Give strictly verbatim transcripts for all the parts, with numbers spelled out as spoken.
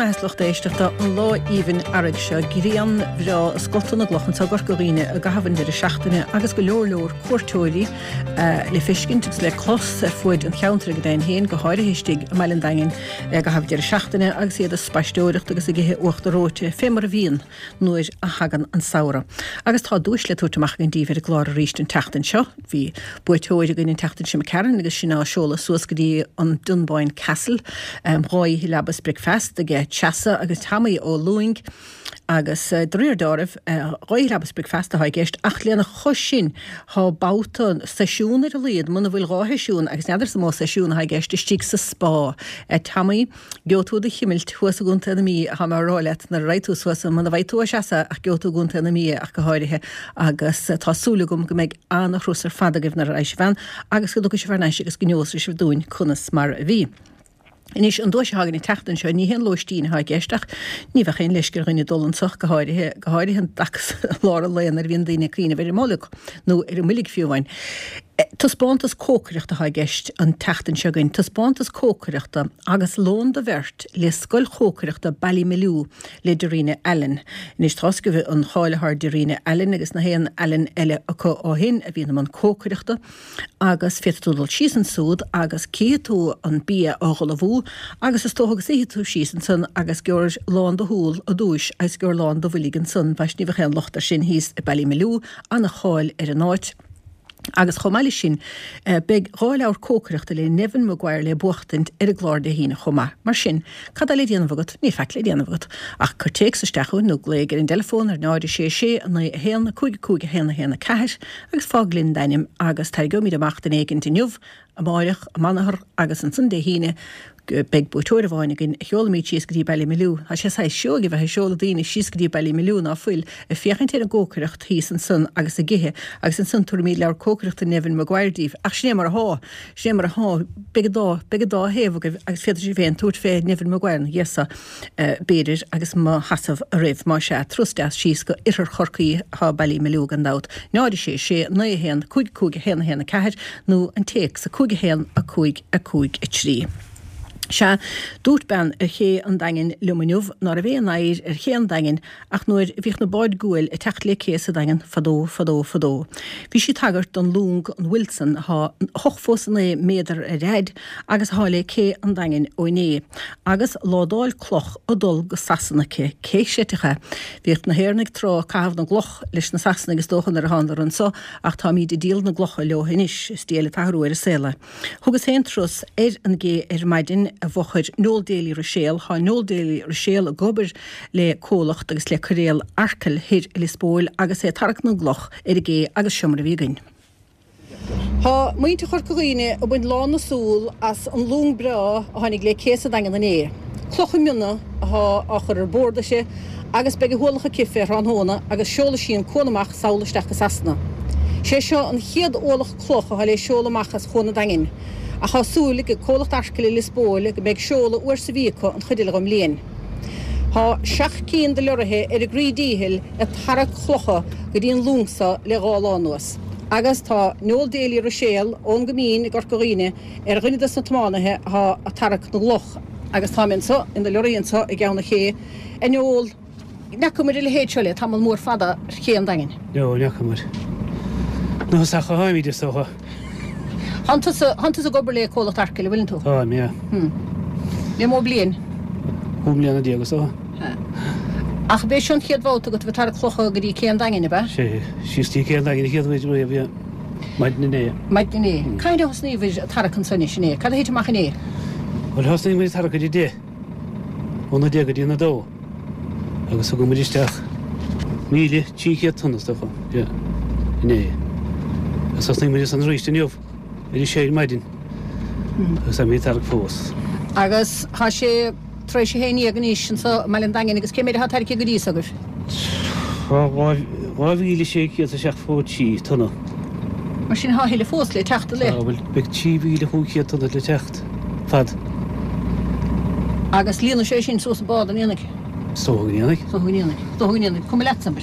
maith a lucht éisteachta an lá aoibhinn earraigh seo grian bhreá ag scoltadh na gcloch anseo i gCorca Dhuibhne i gcaitheamh an deireadh seachtaine agus go leor leor cuairteoirí le feiscint agus le clos ar fuaid an cheantair go deimhin féin, go háirithe istigh i mBaile an Daingin i gcaitheamh deireadh seachtaine agus iad ag spaisteoireacht agus ag ithe uachtar reoite fé mar a bhíonn nuair a thagann an samhradh. Agus tá duais le tabhairt amach againn daoibh ar an gclár arís an tseachtain seo. Bhí buaiteoir againn an tseachtain seo imigh tharainn agus sinn á seoladh suas go dtí an Dunboyne Castle. Dhá oíche leaba is bricfeasta aige Treasa agus Tommy Ó Lúing agus de réir dealraimh dhá oíche leaba is bricfeasta atá i gceist ach lena chois sin tá babhta seisiún ar a laghad muna bhfuil dhá sheisiún agus n'fheadar is mó seisiún atá i gceist istigh sa spá. Tommy, gheobhaidh tú do chimilt thuas i gContae na Mí atá mé a rá leat nuair a raghaidh tú suas muna bhfaighidh tú ó Threasa ach gheobhaidh tú i gContae na Mí ach go háirithe agus tá súil agam go mbeidh an-thuras ar fad agaibh nuair a raghaidh sibh ann agus go dtiocfaidh sibh thar n-ais agus go neosfaidh sibh dúinn conas mar a bhí. Anois, an duais atá againn an tseachtain seo, ní haon lóistín atá i gceist ach ní bheadh aon leisce ar dhuine dul anso, go háirithe, go háirithe an dtaca i lár an lae nuair a bhíonn daoine ag cuimhneamh ar an mbolg, nó ar an mboilg fiú amháin. Taispeántas cócaireachta atá i gceist an tseachtain seo againn, taispeántas cócaireachta agus lón do bheirt le Scoil Chócaireachta Ballymaloe le Darina Allen. Anois, tá's agaibh an cháil atá ar Darina Allen agus na haon Allen eile acu ó shin a bhíonn i mbun cócaireachta. Agus féadfaidh tú dul síos ansúd agus cífidh tú an bia á dh'ullmhú agus is dócha go suífidh tú síos ansan agus gheobhair lán do shúl i dtúis agus gheobhair lán do bhoilg ansan, bhaist ní bheadh aon locht air sin thíos i Ballymaloe, ana-cháil ar an áit. Agus chomh maith leis sin, beidh dhá leabhar cócaireachta le Neven Maguire le buachtaint ar an gclár Dé hAoine chomh maith. Mar sin, Cad tá le déanamh agat? Níl faic le déanamh agat ach cuir téacs isteach chugainn nó glaoigh ar an dteileafón ar náid a sé sé a naoi a haon cúig cúig a haon a haon a ceathair agus fág linn d'ainm agus tarraingeoimid amach duine éigint inniu, amáireach, amanathar agus ansan Dé hAoine beidh buaiteoir amháin againn a sheolfaimid síos go dtí Ballymaloe. Tá sé saghas seoigh a bheith ag seoladh daoine síos go dtí Ballymaloe ná fuil ag féachaint ar an gcócaireacht thíos ansan agus ag ithe agus ansan tabharfaimid leabhar cócaireachta Neven Maguire díbh. Ach sin é mar athá. Sin é mar athá. Beidh an dá, beidh an dá thaobh agaibh agus féadfaidh sibh féin tabhairt fé Neven Maguire ina dhiaidh so, b'fhéidir, agus mo sheasamh oraibh. Más ea, turas deas síos go Oirthear Chorcaí atá Ballymaloe gan dabht. Náid a sé sé, naoi a haon, cúig cúig a haon a haon a ceathair nó an téacs a cúig a haon a cúig a cúig a trí. Sea, dúirt bean ar ché an Daingin liom inniu ná raibh aon oidhir ar ché an Daingin ach nuair a bhíodh na báid guail ag teacht le cé sa Daingean fadó, fadó, fadó. Bhí sí ag tagairt don long, an Wilson, athá ochtó is a naoi méadar ar fhaid agus athá le cé an Daingin ó inné, agus ládáil cloch ag dul go Sasana aici. Cé chreidfeadh é? Bhíodh na hÉireannaigh tráth ag caitheamh na gcloch leis na Sasanaigh is dócha nuair a thánadar anso ach táimíd ag díol na gclocha leo anois. Is diail an t-athrú ar an saol é. Thugas féin turas ar an gcé ar maidin i bhfochair Noel Daly Ruiséal. Thá Noel Daly Ruiséal ag obair le comhlacht agus le coiréal Arkle thoir i Lios Póil agus é ag tarrac na gcloch ar an gcé agus seo mar a bhí againn. Thá muintir Chorca Dhuibhne ag baint lán na súl as an long breá a tháinig le cé sa Daingean inné. Clocha miona athá á chur ar bord aici agus beidh a hualach aici fé thráthnóna agus seolfaidh sí an cuan amach sall isteach go Sasana. Sé seo an chéad ualach cloch atá le seoladh amach as Chuan an Daingin, ach tá súil ag comhlacht Arkle i Lios Póil go mbeidh seoladh uair sa mhí acu an chuid eile dhon mbliain. Tá seacht cinn de leoraithe ar a gcroí díchill ag tarrac clocha go dtí an long so le dhá lá anuas, agus tá Noel Daly Ruiséal ón gCoimín i gCorca Dhuibhne ar dhuine dos na tiománaithe atá ag tarrac na gcloch. Agus táim anso ina leoraí anso i gceann an ché, a Noel. N'fheacamair a leithéid seo le tamall mór fada ar ché an Daingin. No, n'fheacamair. Nó is ach a tháimid, is dócha. Thánn tusa, thánn tusa ag obair le comhlacht Arkle, an bhfuileann tú? Táim, yeah. Hmm. Le mó bliain? Cúig mbliana déag, is dócha. Ha. Ach b'é seo an chéad bhabhta agat a bheith ag tarrac clocha go dtí cé an Daingin, ab ea? Sé, síos dtí cé an Daingin an chéad uair riamh, yeah. Maidin inné. Maidin inné. Cathain a thosnaíobhair ag tarrac anso anois inné? Cad a thit amach inné? Bhuel, thosnaigh muid ag tarrac ar a deich. Óna deich go dtí a dó. Agus thug muid isteach míle trí chéad tonna is dócha, yeah, inné. Agus thosnaigh muid ansan arís inniu ar a sé ar maidin agus táimid ag tarrac fós. Agus tá sé tar éis a haon dhéag anois anso i mBaile an Daingin agus cé méid atá tairgthe go dtí so agaibh? Tá dhá mhíle sé chéad is seachtó a trí tonna. Mar sin tá a thuilleadh fós le teacht, an ea? Tá, bhuel, beidh trí mhíle chúig chéad tonna le teacht. fad. Agus líonfaidh sé sin suas an bád, an ndéanfaidh? Is dócha go ndéanfaidh. Is dócha go ndéanfaidh. Is dócha go ndéanfaidh. Cuma leatsa, an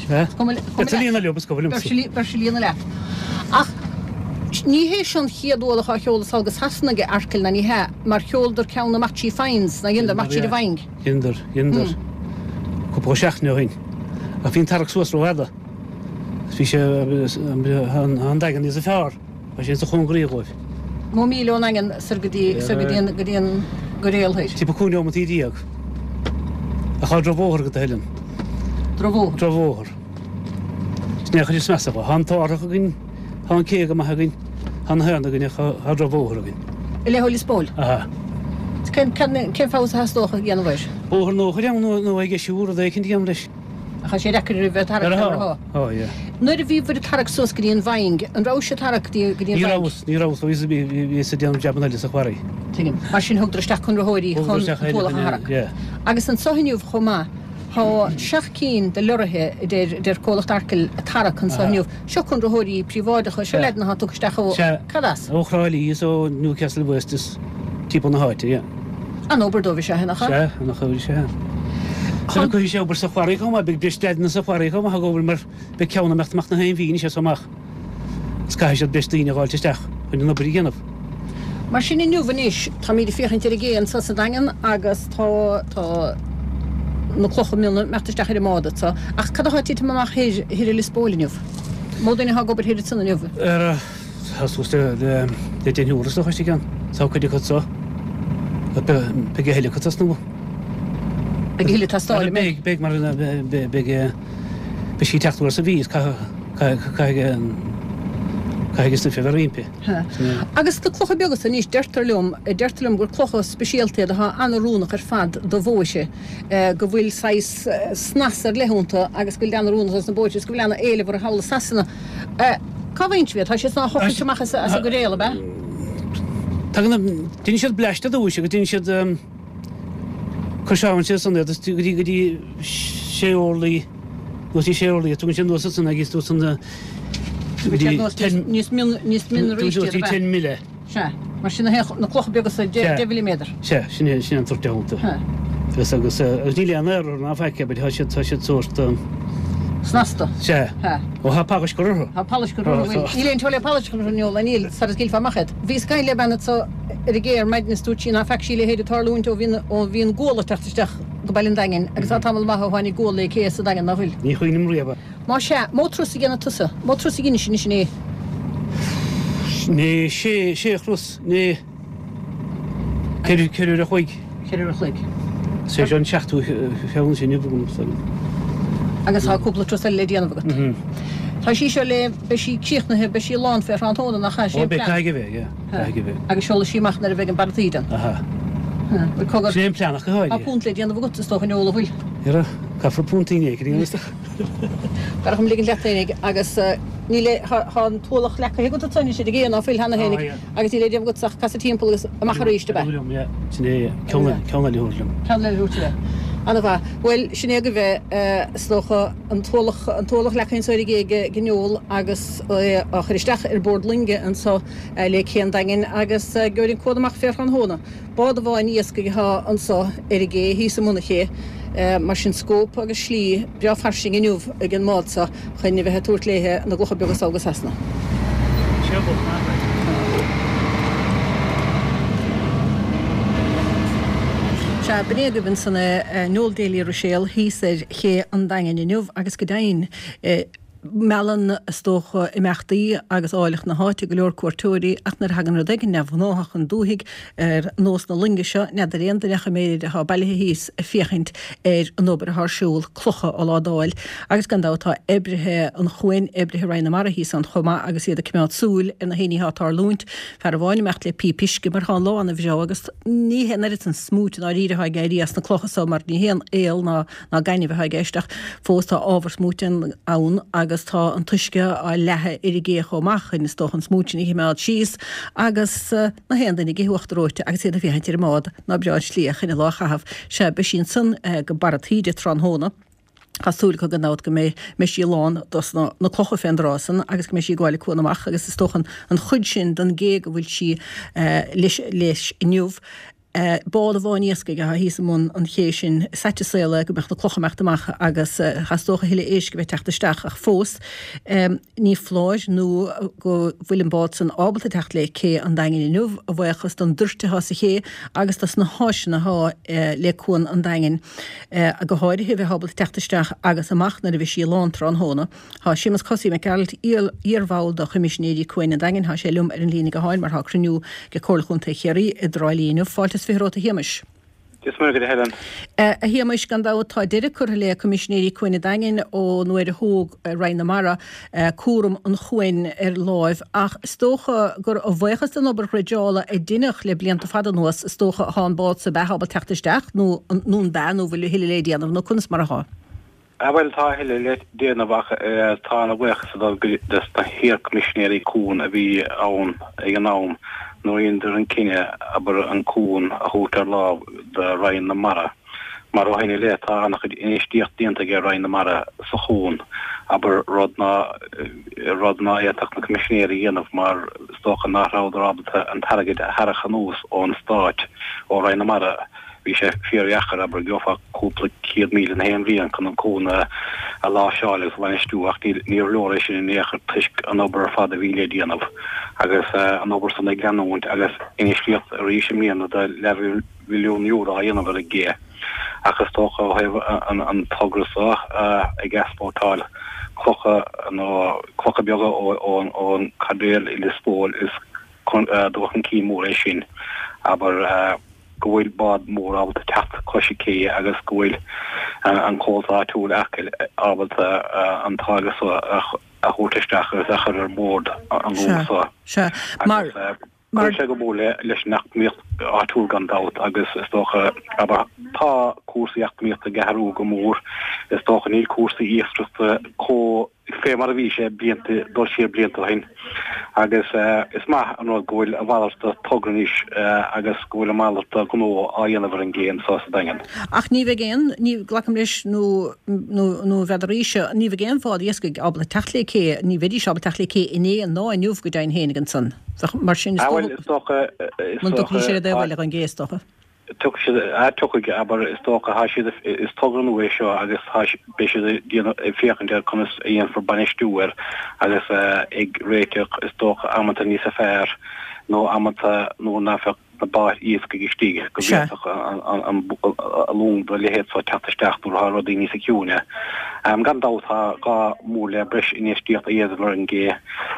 Beidh sé líonadh liom, is cuma liomsa. Beidh sé líonadh leat. Ach Ní hé seo an chéad ualach á sheoladh sall go Sasana ag Arkell ná ní hea, mar sheoladar ceann amach trí Foynes, ná dheineadar, amach tríd an bhFaing. Dheineadar, dheineadar. Cúpla seachtain ó shin. Ach bhí an tarrac suas rófhada. Bhí sé, an Daingean níosa fearr. Tá sé insa chóngaraí dhóibh. Mó míle ón nDaingean soir go dtí, soir go dtí an, go dtí an gCoiréal thoir. Timpeall cúig neomataí déag. Ach tá drochbhóthar agat a thuilleann. Drochbhóthar? Drochbhóthar. Sin é an chuid is measa dhe. Tá an t-árthach againn, tá an cé go maith againn, tá na haon againn ach tá drochbhóthar againn. I leith Lios Póil? Aha. Cén, cén, cén feabhas a theastódh a dhéanamh air? Bóthar nua a chur ann nó, nó é a dheisiú, rud éicint a dhéanamh leis. Ach tá sé deacair roimh bheith ag tarrac ar a Tá, yeah. Nuair a bhíobhair ag tarrac suas go dtí an bhFaing, an rabhais ag tarrac go dtí an Ní bhFaing? rabhas, ní rabhas, bhíos, bhíos ag déanamh jabanna eile sa quarry. Tuigim. Mar sin thugadar isteach conraitheoirí Thugadar chun isteach an t-ualach a eile, tharrac. yeah. Agus anso inniu chomh maith, tá seacht cinn de leoraithe, a deir, a deir comhlacht Arkell, ag tarrac anso Aha. inniu. Seo conraitheoirí príobháideacha, seo Sea. leaideanna atá tugtha isteach ó, Sea. cad as? Ó Thrá Lí is ó Newcastle West is timpeall na háite, yeah. An-obair dóibh is ea, nach ea? Sea, an-obair is ea. Chun cuirfidh sé obair sa quarry chomh maith, beidh breis leaideanna sa quarry chomh maith ag obair mar beidh ceann ag imeacht amach na haon mhí anois as so amach is caithfidh siad breis daoine a dh'fháilt isteach chun an obair a dhéanamh. Mar sin inniu anois, táimid ag féachaint ar an gcé anso sa Daingean agus tá, tá na clocha miona ag imeacht isteach ar an mbád anso. Ach cad atá ag titim amach thoir, thoir i Lios Póil inniu? Mó duine atá ag obair thoir ansan inniu? Ar, tá suas le, le, le deichniúr is dócha istigh ann. Tá cuid acu anso. Beidh a thuilleadh acu tosnú. Beidh a thuilleadh ag teastáil, an mbeidh? Beidh, beidh, mar beidh, beidh sí ag teacht uair sa mhí is caithfidh, caithfidh, caithfidh an stuif a bheith roimpi. Agus na clocha beaga san anois, deirtear liom, deirtear liom gur clocha speisialta iad atá an-oiriúnach ar fad do bhóithre, go bhfuil saghas snas ar leith iontu agus go bhfuil an-oiriúnach dos na bóithre is go bhfuil an-éileamh orthu thall i Sasana. Cá bhfaigheann sibh iad? Tá siad san á thochailt amach as an gcoiréal, ab ea? Tagann, deineann siad blast ar dtúis agus deineann siad coiseálann siad ansan iad go dtí go dtí sé orlaí nó trí sé orlaí tugann siad anuas ansan agus tú san go dtí ten níos mion níos mion arís go dtí ten mile. Sea, mar sin na clocha beaga sa deich mhilliméadar. Sea, sin é sin é an toirt iontu. Agus agus agus níl aon aer orthu ná faic but tá siad tá siad sórt Snasta. Sea. Ó tá pailís curtha orthu. Tá pailís curtha orthu. Bhuel, níl aon teoiric pailís curtha orthu Noel, níl, sara scaoilfeá amach iad. Bhíos ag caint le bean anso ar an gcé ar maidin is dúirt sí ná feac sí a leithéid ag tarlúint ó bhí ó bhí an gual ag teacht isteach go Baile an Daingin agus tá tamall maith ó tháinig gual le cé sa Daingean, ná fuil? Ní chuimhním riamh. Má sea, mó turas a dhéanfaidh tusa? Mó turas a dheinis anois inné? Inné, sé, sé thuras, inné. Ceithre, ceithre uair a chloig. Ceithre uair a chloig. Is é seo an seachtú ceann sin inniu agam. Agus tá cúpla turas eile le déanamh agat. Tá sí seo le, beidh sí críochnaithe, beidh sí lán fé thráthnóna, nach ea? Sin é an Ó, beidh, plean. caithfidh a bheith, yeah, caithfidh a bheith. Agus seolfaidh sí amach nuair a bheidh an barra taoide ann. Aha. Bhuel, cogar. Sin é an plean ach go háirithe. Tá punt le déanamh agat, is dócha, a Noel, an bhfuil? Ara, caithfear puntín éicint a dhéanamh, is dócha. B'fhearr dhom ligint leat fhéinig agus níl, tá an t-ualach leagtha agat ansan anois ar an gcé, ná fuil cheana fhéinig agus níl le déanamh agat ach casadh timpeall agus amach arís, ab ea? Liom, yeah. Sin é, ceann eile, ceann eile a thabhairt liom. Ceann eile a thabhairt leat. Ana-mhaith. Bhuel, sin é agaibh é, is dócha, an t-ualach, an t-ualach leagtha anso ar an gcé ag Noel agus é á chur isteach ar bord loinge anso le cé an Daingin agus gheobhair an cuan amach fé thráthnóna. Bád amháin iascaigh atá anso ar an gcé thíos i mbun an ché, mar sin scóip agus slí breá fairsing inniu ag an mbád so chun a bheith ag tabhairt léithe na gclocha beaga sall go Sasana. Sea, b'in é agaibh ansan é Noel Daly Ruiséal thíos ar ché an Daingin inniu agus go deimhin, Meallann, is dócha, imeachtaí agus áilleacht na háite go leor cuairteoirí ach nuair a thagann rud éigin neamhghnáthach chun dúthaigh, ar nós na loinge seo, n'fheadar aon duine ach an méid atá bailithe thíos ag féachaint ar an obair atá ar siúl, clocha á ládáil. Agus gan dabht tá oibrithe an chuain, oibrithe Roinn na Mara thíos ann chomh maith agus iad ag coimeád súil ar na haon ní atá ag tarlúint. Fear amháin ag imeacht le píp uisce mar tá an lá ana-bhreá agus ní hé an oiread san smúit i ndáiríre atá ag éirí as na clocha so mar ní haon aol ná ná gaineamh atá i gceist ach fós tá ábhar smúit ann agus tá an t-uisce á leathadh ar an gcé chomh maith chun is dócha an smúit sin a chimeád síos agus na haon duine ag ithe uachtar reoite agus iad ag féachaint ar an mbád ná breá an tslí chun an lá a chaitheamh. Sea, beidh sí ansan go barra taoide tráthnóna. Tá súil acu gan dabht go mbeidh mbeidh sí lán dos na na clocha fén dtráth san agus go mbeidh sí ag gabháil an cuan amach agus is dócha an chuid sin den gcé go bhfuil sí leis leis inniu. Bád amháin iascaigh atá thíos i mbun an ché sin. Is ait an saol é go mbeadh na clocha imeacht amach agus theastódh a thuilleadh éisc a bheith teacht isteach ach fós ní foláir nó go bhfuil an bád san ábalta teacht le cé an Daingin inniu a bhuíochas don dtoirt atá sa ché agus dos na háiseanna atá le Cuan an Daingin go háirithe a bheith ábalta teacht isteach agus amach nuair a bheidh sí lán tráthnóna. Tá Séamus Cosaí Mac Gearailt, iarbhall de Choimisinéirí Cuain an Daingin, tá sé liom ar an líne gutháin mar tá cruinniú de Comhairle Chontae Chiarraí i dTrá Lí inniu. Fáilte is fiche romhat a Shéamais. Dia is Muire dhuit a Helen. A Shéamais, gan dabht tá deireadh curtha le Coimisinéirí Cuain an Daingin ó nuair a thóg Roinn na Mara cúram an chuain ar láimh ach is dócha gur a bhuíochas don obair dhreideála a deineadh le blianta fada anuas is dócha atá an bád so ábalta teacht isteach nó nó an bea nó bhfuil a thuilleadh le déanamh nó conas mar atá? Ah bhuel tá a thuilleadh le déanamh ach tá an bhuíochas ag dul dos na hiar-Choimisinéirí Cuain a bhí ann ag an am nuair a dheineadar an cinneadh abair an cuan a thabhairt ar lámh do Roinn na Mara mar ó shin i leith tá an-chuid infheistíocht déanta ag Roinn na Mara sa chuan abair rud ná rud ná fhéadfadh na Coimisinéirí a dhéanamh mar is dócha nach rabhadar ábalta an t-airgead a tharrac anuas ón Stát ó Roinn na Mara. Bhí sé fíordheacair, abair, gheofá cúpla céad míle na haon bhliain chun an cuan a láimhseáil agus a bhainistiú ach níorbh leor é sin in aon chor toisc an obair ar fad a bhí le déanamh agus an obair san ag leanúint agus infheistíocht arís i mbliana de leathmhilliún euro á dhéanamh ar an gcé. Ach is dócha ó thaobh an togra seo ag easpórtáil clocha nó clocha beaga ón chaidéal i Lios Póil is dul chun cinn mór é sin, abair. go bhfuil bád mór ábalta teacht cois an cé agus go bhfuil an comhlacht áitiúil Acaill ábalta an táirge seo a thabhairt isteach agus a chur ar bord an long seo. Sea, mar. Cuirfidh sé go mór leis an eacnamaíocht áitiúil gan dabht agus is dócha, abair, tá cúrsaí eacnamaíochta ag athrú go mór, is dócha níl cúrsaí iascaireachta chomh fé mar a bhí sé blianta, dul siar blianta ó shin agus is maith an rud go bhfuil a mhalairt de togra anois agus go bhfuil a mhalairt de ghnó á dhéanamh ar an gcé anso sa Daingean. Ach ní bheidh aon, ní, glacaim leis nó, nó, nó n'fheadaraíse, ní bheidh aon bhád iascaigh ábalta teacht le cé, ní bheidís ábalta teacht le cé inné ná inniu go deimhin féin ag ansan. Bheadh, mar sin is dócha, is dócha, is dócha, dtiocfaidís ar an dtaobh eile den gcé is dócha. Tiocfaidh siad, ah, tiocfaidh, abair, is dócha, tá siad, is togra nua é seo agus tá, beidh siad ag déanamh, ag féachaint ar conas a dhéanfar bainistiú air agus ag réiteach, is dócha, amanta níosa fearr nó amanta nuair nach bheadh na báid iascaigh istigh go bhféadfadh an, an, an, long dá leithéid seo teacht isteach nuair atá rudaí níosa ciúine. Gan dabht tá gá mór le breis infheistíocht a dhéanamh ar an gcé,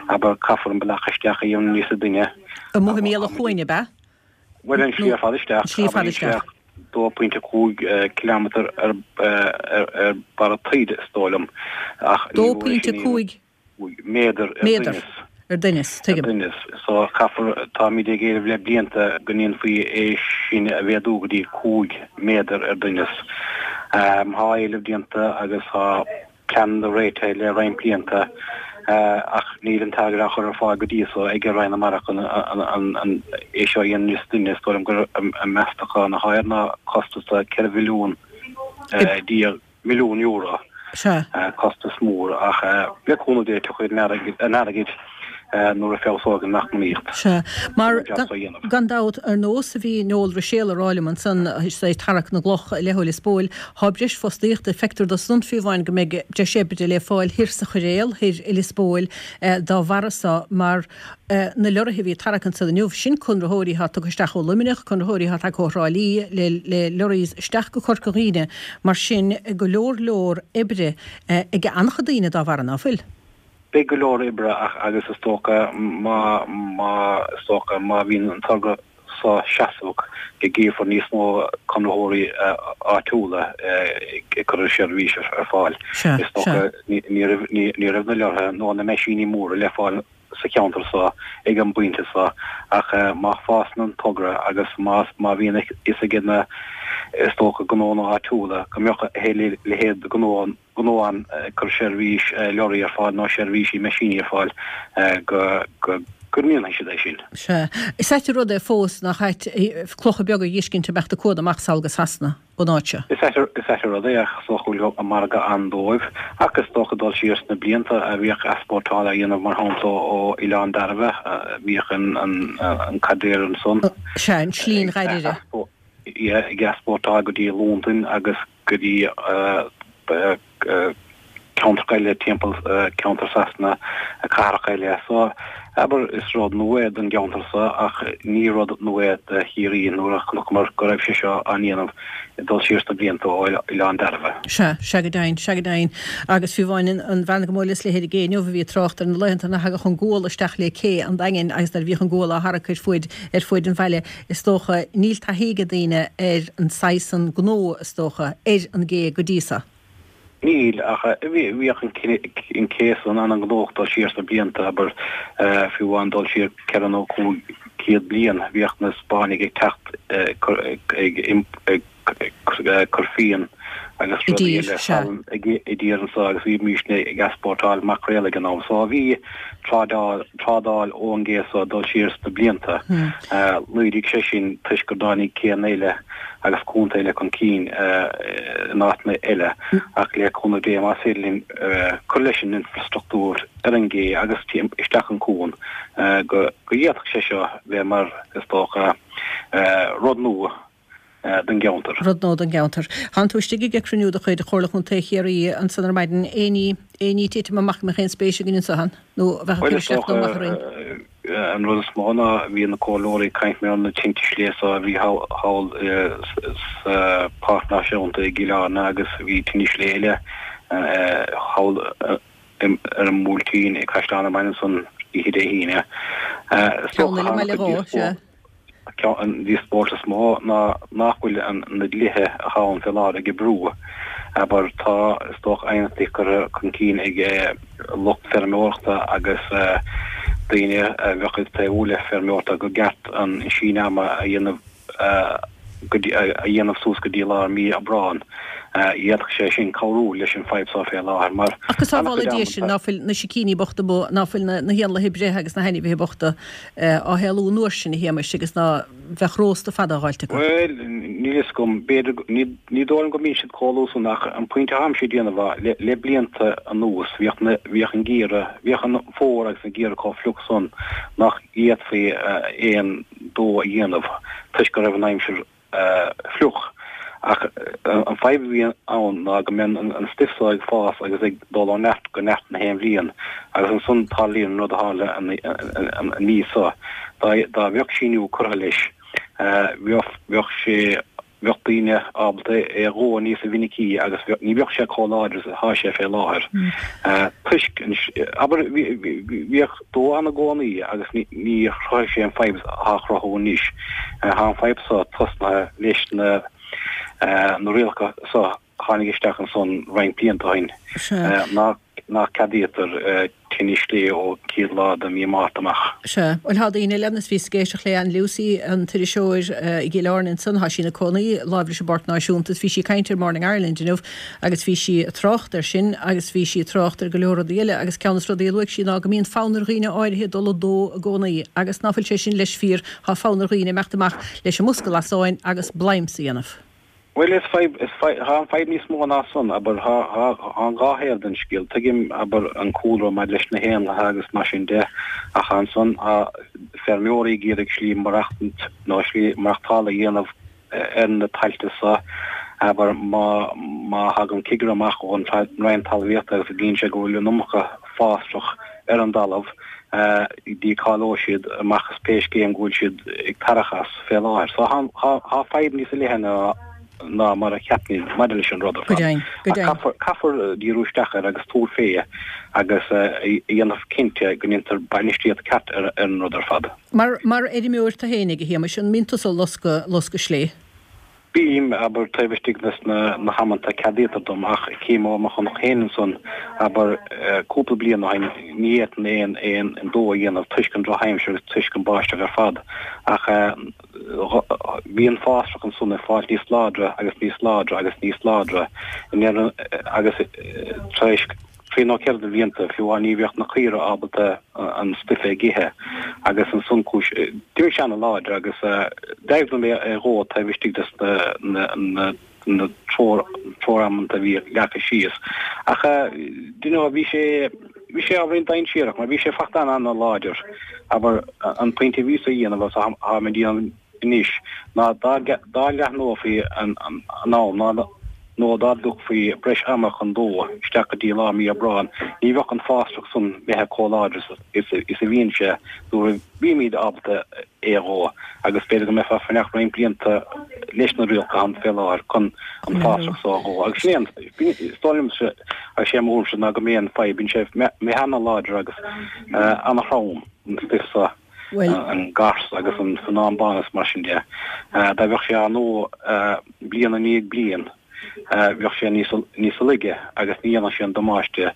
abair, caithfear an bealach isteach a dhéanamh níosa doimhne. Amuigh i mbéal an chuain, ab ea? Bhuel, an slí ar fad isteach, An slí ar fad isteach. dó pointe cúig kilometre ar ar barra taoide is dóigh liom, ach ní Dó pointe cúig méadar ar méadar doimhneas. ar doimhneas, Ar tuigim. doimhneas. So caithfear, táimid ag éileamh le blianta go ndéanfaí é sin a mhéadú go dtí cúig méadar ar doimhneas. Tá éileamh déanta agus tá pleananna réitithe le roinnt blianta ach níl an t-airgead á chur ar fáil go dtí so ag Roinn na Mara chun é seo a dhéanamh níos doimhne. Is dóigh liom gur an meastachán atá air ná costas de ceithre mhilliún déag milliún euro. Costas mór ach le cúnamh Dé tiocfaidh an airgead nuair a feabhsóidh an eacnamaíocht. Sea. Mar, gan dabht, ar nós a bhí Noel Ruiséal a rá liom ansan, is é ag tarrac na gcloch i leith Lios Póil, thá breis fostaíochta, feictear do san fiú amháin go mbeidh breis oibre le fáil thoir sa Choiréal, thoir i Lios Póil, dá bharra so, mar na leoraithe a bhí ag tarrac ansan inniu, sin conraitheoirí athá tugtha isteach ó Luimneach, conraitheoirí athá tagtha ó Thrá Lí le le lorries isteach go Corca Dhuibhne, mar sin go leor leor oibre ag an-chuid daoine dá bharra, ná fuil? Beidh go leor oibre ach agus is dócha má má is dócha má bhíonn an togra seo seasmhach go gcífear níos mó conraitheoirí áitiúla ag cur a seirbhís ar fáil. Sea, Is dócha sea. ní ní raibh ní ní raibh na leoraithe nó na meaisíní móra le fáil sa cheantar seo ag an bpointe seo ach má fásann an togra agus má má bhíonn a fhios ag na is dócha gnónna áitiúla go mbeadh a leithéid de ghnó gnó ann ag cur seirbhís leoraí ar fáil nó seirbhísí meaisíní ar fáil go go go ndéanfaidh siad é sin. Sea. Is ait an rud é fós nach ait clocha beaga a dh'fheiscint ag imeacht an cuan amach sall go Sasana ón áit seo. Is ait is ait an rud é ach is dócha go bhfuil an margadh ann dóibh ach is dócha dul siar sna blianta a bhíodh easpórtáil á dhéanamh mar shampla ó Oileán Dairbhe bhíodh an an an caidéal ansan Sea, an tslí an Ghairbhre. í ag easpórtáil go dtí Londain agus go dtí ceantracha eile timpeall ceantar Sasana, cathracha eile. So, abair, is rud nua é don gceantar so ach ní rud nua é do Chiarraí nuair a chonaiceamar go raibh sé seo á ndéanamh ag dul siar sna blianta ó Oileán Dairbhe. Sea, sea go deimhin, sea go deimhin. Agus fiú amháin an bhean go mbuaileas léi ar an gcé inniu a bhí ag trácht ar na laethanta nach dtagadh an gual isteach le cé an Daingin agus nuair a bhíodh an gual á tharrac ar fuaid ar fuaid an bhaile, is dócha, níl taithí ag daoine ar an saghas san gnó, is dócha, ar an gcé go dtí so. Níl, ach bhíodh an cé san an-ghnóthach dul siar sna blianta, abair, fiú amháin dul siar ceithre nó cúig chéad bliain, bhíodh na Spáinnigh ag teacht ag cur fíon agus rudaí eile salann i dtír anso agus bhímísne ag easpórtáil maicréal ag an am. So bhí trádáil ón gcé so dul siar sna blianta. Laghdaigh sé sin toisc gur dtáinig céanna eile agus cuanta eile chun cinn in áiteanna eile ach le cúnamh Dé más féidir linn cur leis an infrastruchtúr ar an gcé agus isteach an cuan go bhféadfadh sé seo bheith mar, is dócha, rud nua don gceantar. Rud nua don gceantar. Thánn tú istigh ag cruinniú de chuid Chomhairle Chontae Chiarraí ansan ar maidin. Aon ní, aon ní ag titim amach a mbeadh aon spéis againn anso ann nó a bheadh ag cur isteach nó amach orainn? An rud is mó ná bhí na comhairleoirí ag caint mar na tinte sléibhe so a bhí thall sa Pháirc Náisiúnta i gCill Airne agus bhí tine sléibhe eile thall ar an mBuailtín i gCaisleán an Bhaile ansan oíche Dé hAoine. Ceann eile i mBaile Ghó, sea. An díospóireacht is mó ná nach bhfuil na dlíthe atá ann fé láthair ag oibriú. Abair, tá, is dócha, aighneachtaí curtha chun cinn ag lucht feirmeoireachta agus daoine a bheadh ag taobhú le feirmeoireachta go gceart an síneadh ama a dhéanamh a dhéanamh suas go dtí lár mí Aibreán. D'fhéadfadh sé sin cabhrú leis an fadhb seo fé láthair mar. Ach go sábhála Dia sinn ná fuil na sicíní bochta amuigh, ná fuil na héanlaithe ag breith agus na hainmhithe bochta á héalú an uair sin, a Shéamais, agus ná bheadh rósta fada á dh'fháilt acu. Bhuel, níl fhios agam. B'fhéidir, ní dóigh liom go mbíonn siad chomh luath san ach an pointe atáimse ag déanamh ná, le blianta anuas, bhíodh na, bhíodh an geimhreadh, bhíodh an fómhar agus an geimhreadh chomh fliuch san nach bhféadfaí aon dó a dhéanamh toisc go raibh an aimsir fliuch. Ach an fadhb a bhíonn ann ná go mbíonn an stuif so ag fás agus ag dul ó neart go neart na haon bhliain agus ansan tarlaíonn an rud a tharla an mhí so. Dá bheadh síniú curtha leis, bheadh sé, bheadh daoine ábalta é a dhó níos mhinicí agus ní bheadh sé chomh láidir is atá sé fé láthair. Toisc, abair, bhíodh dó ann i gcónaí agus ní chruthaigh sé an fadhb atá á chruthú anois. Tá an fadhb so tosnaithe leis na na rialacha so a tháinig isteach ansan roinnt blianta ó shin nach ceadaítear tine sléibhe ó chéad lá de mhí Márta amach. Sea. Bhuel, tá daoine eile ann is bhíos ag éisteacht le Ann Lucey, an t-iriseoir i gCill Airne ansan, tá sí ina cónaí láimh leis an bPáirc Náisiúnta is bhí sí ag caint ar Morning Ireland inniu agus bhí sí ag trácht air sin agus bhí sí ag trácht ar go leor rudaí eile agus ceann de na rudaí a luaigh sí ná go mbíonn fonn ar dhaoine áirithe dul ag dó i gcónaí agus ná fuil sé sin leis fíor, tá fonn ar dhaoine imeacht amach leis an mbosca lasáin agus blaims a dhéanamh. Bhuel, is fadhb, is fadhb, tá an fadhb níos mó ná san, abair, tá, tá, tá an dhá thaobh den scéal. Tuigim, abair, an cúlra maidir leis na héanlaithe agus mar sin de, ach ansan tá feirmeoirí ag iarraidh slí maireachtaint nó slí maireachtála a dhéanamh ar na tailte so, abair, má, má thagann cigire amach ón Roinn Talmhaíochta agus gcíonn sé go bhfuil an iomarca fásach ar an dtalamh, dícháileoidh siad amach as pé scéim go bhfuil siad ag tarrach as fé láthair. So tá fadhb níos leithne ná mar a cheapfainn maidir leis an rud ar fad. Ach caithfear díriú isteach air agus tabhairt fé agus a dhéanamh cinnte go ndéantar bainistíocht ceart ar an rud ar fad. Mar fheirmeoir tú fhéinig, a Shéamais, an mbíonn tusa ag loscadh sléibhe? Bím, abair, taobh istigh des na hamanta a ceadaítear dom, ach cím ó mo chonach féin ansan, abair, cúpla bliain ó shin, ní fhéadfainn aon aon dó a dhéanamh toisc an drochaimsir agus toisc an báisteach ar fad, ach bhí an fásach ansan ag fáilt níos láidre agus níos láidre agus níos láidre i ndeireadh agus tar éis trí nó ceithre de bhlianta, fiú amháin ní bheadh na caoirigh ábalta an stuif a ithe agus ansan cúis, d'imigh sé ana-láidir agus d'éirigh liom é a dhó taobh istigh des na na treoir-amanta a bhí leagtha síos. Ach do you know bhí sé bhí sé ábhairín dainséarach mar bhí sé fachta ana-láidir. Abair an pointe a bhíos a dhéanamh agus táim ag déanamh anois ná dá leathnófaí an am ná nó dá dtabharfaí breis ama chun dó isteach go dtí lár mí Aibreáin, ní bheadh an fásach san imithe chomh láidir is a bhíonn sé nuair a bhímid ábalta é a dhó agus b'fhéidir go mbeifeá ag fanacht roinnt blianta leis na rialacha ann fé láthair chun an fásach so a dhó. Agus sin é an, is dóigh liomsa, agus sé mo thuairimse ná go mb'é an fadhb, bíonn sé imithe ana-láidir agus ana-throm an stuif so, an gars agus an feannán bán is mar sin de. Dá bheadh sé á ndó bliain i ndiaidh bliain, bheadh sé níos laige agus ní dhéanfadh sé an damáiste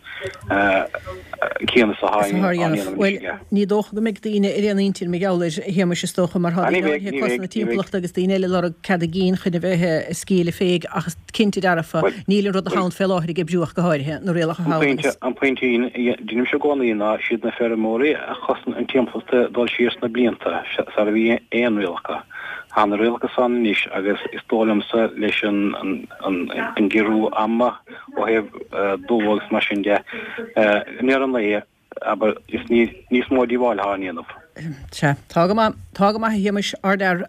céanna is atá á dhéanamh anois aige. Ní dócha go mbeidh daoine ar aon intinn mar gheall air, a Shéamais, is dócha, mar tá daoine áirithe ag cosaint na timpeallachta agus daoine eile ag lorg cead a gcinn chun a bheith ag scaoileadh féig ach is cinnte dearfa, níl an rud atá ann fé láthair ag oibriú ach go háirithe, na rialacha thall agus. An pointe a deinimse i gcónaí ná siad na feirmeoirí a chosain an timpeallacht ag dul siar sna blianta sara bhí aon rialacha. Tá na rialacha san anois agus is dóigh liomsa leis an gciorrú ama ó thaobh dó agus mar sin de, i ndeireadh an lae, abair, is níos mó díobháil atá á ndéanamh. Sea, tá go maith, tá go maith a Shéamais, ardfhear,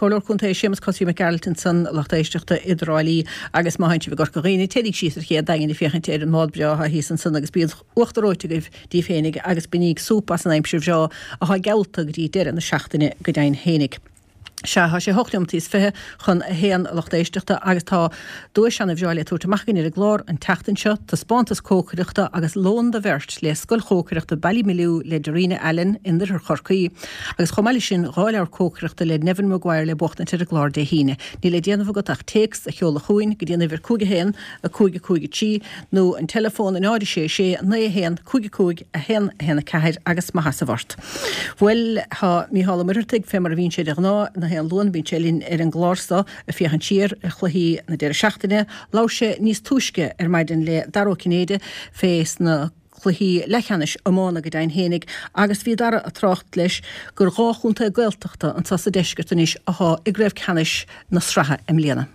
Comhairleoir Contae Séamus Cosaí Mac Gearailt ansan, lucht éisteachta i dTrá Lí agus má théann sibh i gCorca Dhuibhne, téiríg síos ar ché an Daingin ag féachaint ar an mbád breá atá thíos ansan agus bíodh uachtar reoite agaibh daoibh féinig agus bainíg súp as an aimsir bhreá atá geallta go dtí deireadh na seachtaine go deimhin féinig. Sea, tá sé hocht neomat is fiche chun a haon, a lucht éisteachta, agus tá duais ana-bhreá le tabhairt amach againn ar an gclár an tseachtain seo, taispeántas cócaireachta agus lón do bheirt le Scoil Chócaireachta Ballymaloe le Darina Allen in oirthear Chorcaí, agus chomh maith leis sin dhá leabhar cócaireachta le Neven Maguire le buachtaint ar an gclár Dé hAoine. Níl le déanamh agat ach téacs a sheoladh chugainn go dtí an uimhir cúig a haon, a cúig a cúig a trí nó an teileafón a náid a sé sé, naoi a haon, cúig a cúig, a haon, a haon a ceathair agus maith as ort. Bhuel, tá Mícheál Ó Muircheartaigh, fé mar a bhíonn sé de ghnáth, na haon Luan, bíonn sé linn ar an gclár so ag féachaint siar ar chluichí na deireadh seachtaine. Labhair sé níos túisce ar maidin le Dara Ó Cinnéide fé sna cluichí leathcheannais iomána go deimhin fhéinig agus bhí Dara ag trácht leis gur dhá chontae Gaeltachta anso sa deisceart anois athá i gcraobh ceannais na sraithe i mbliana.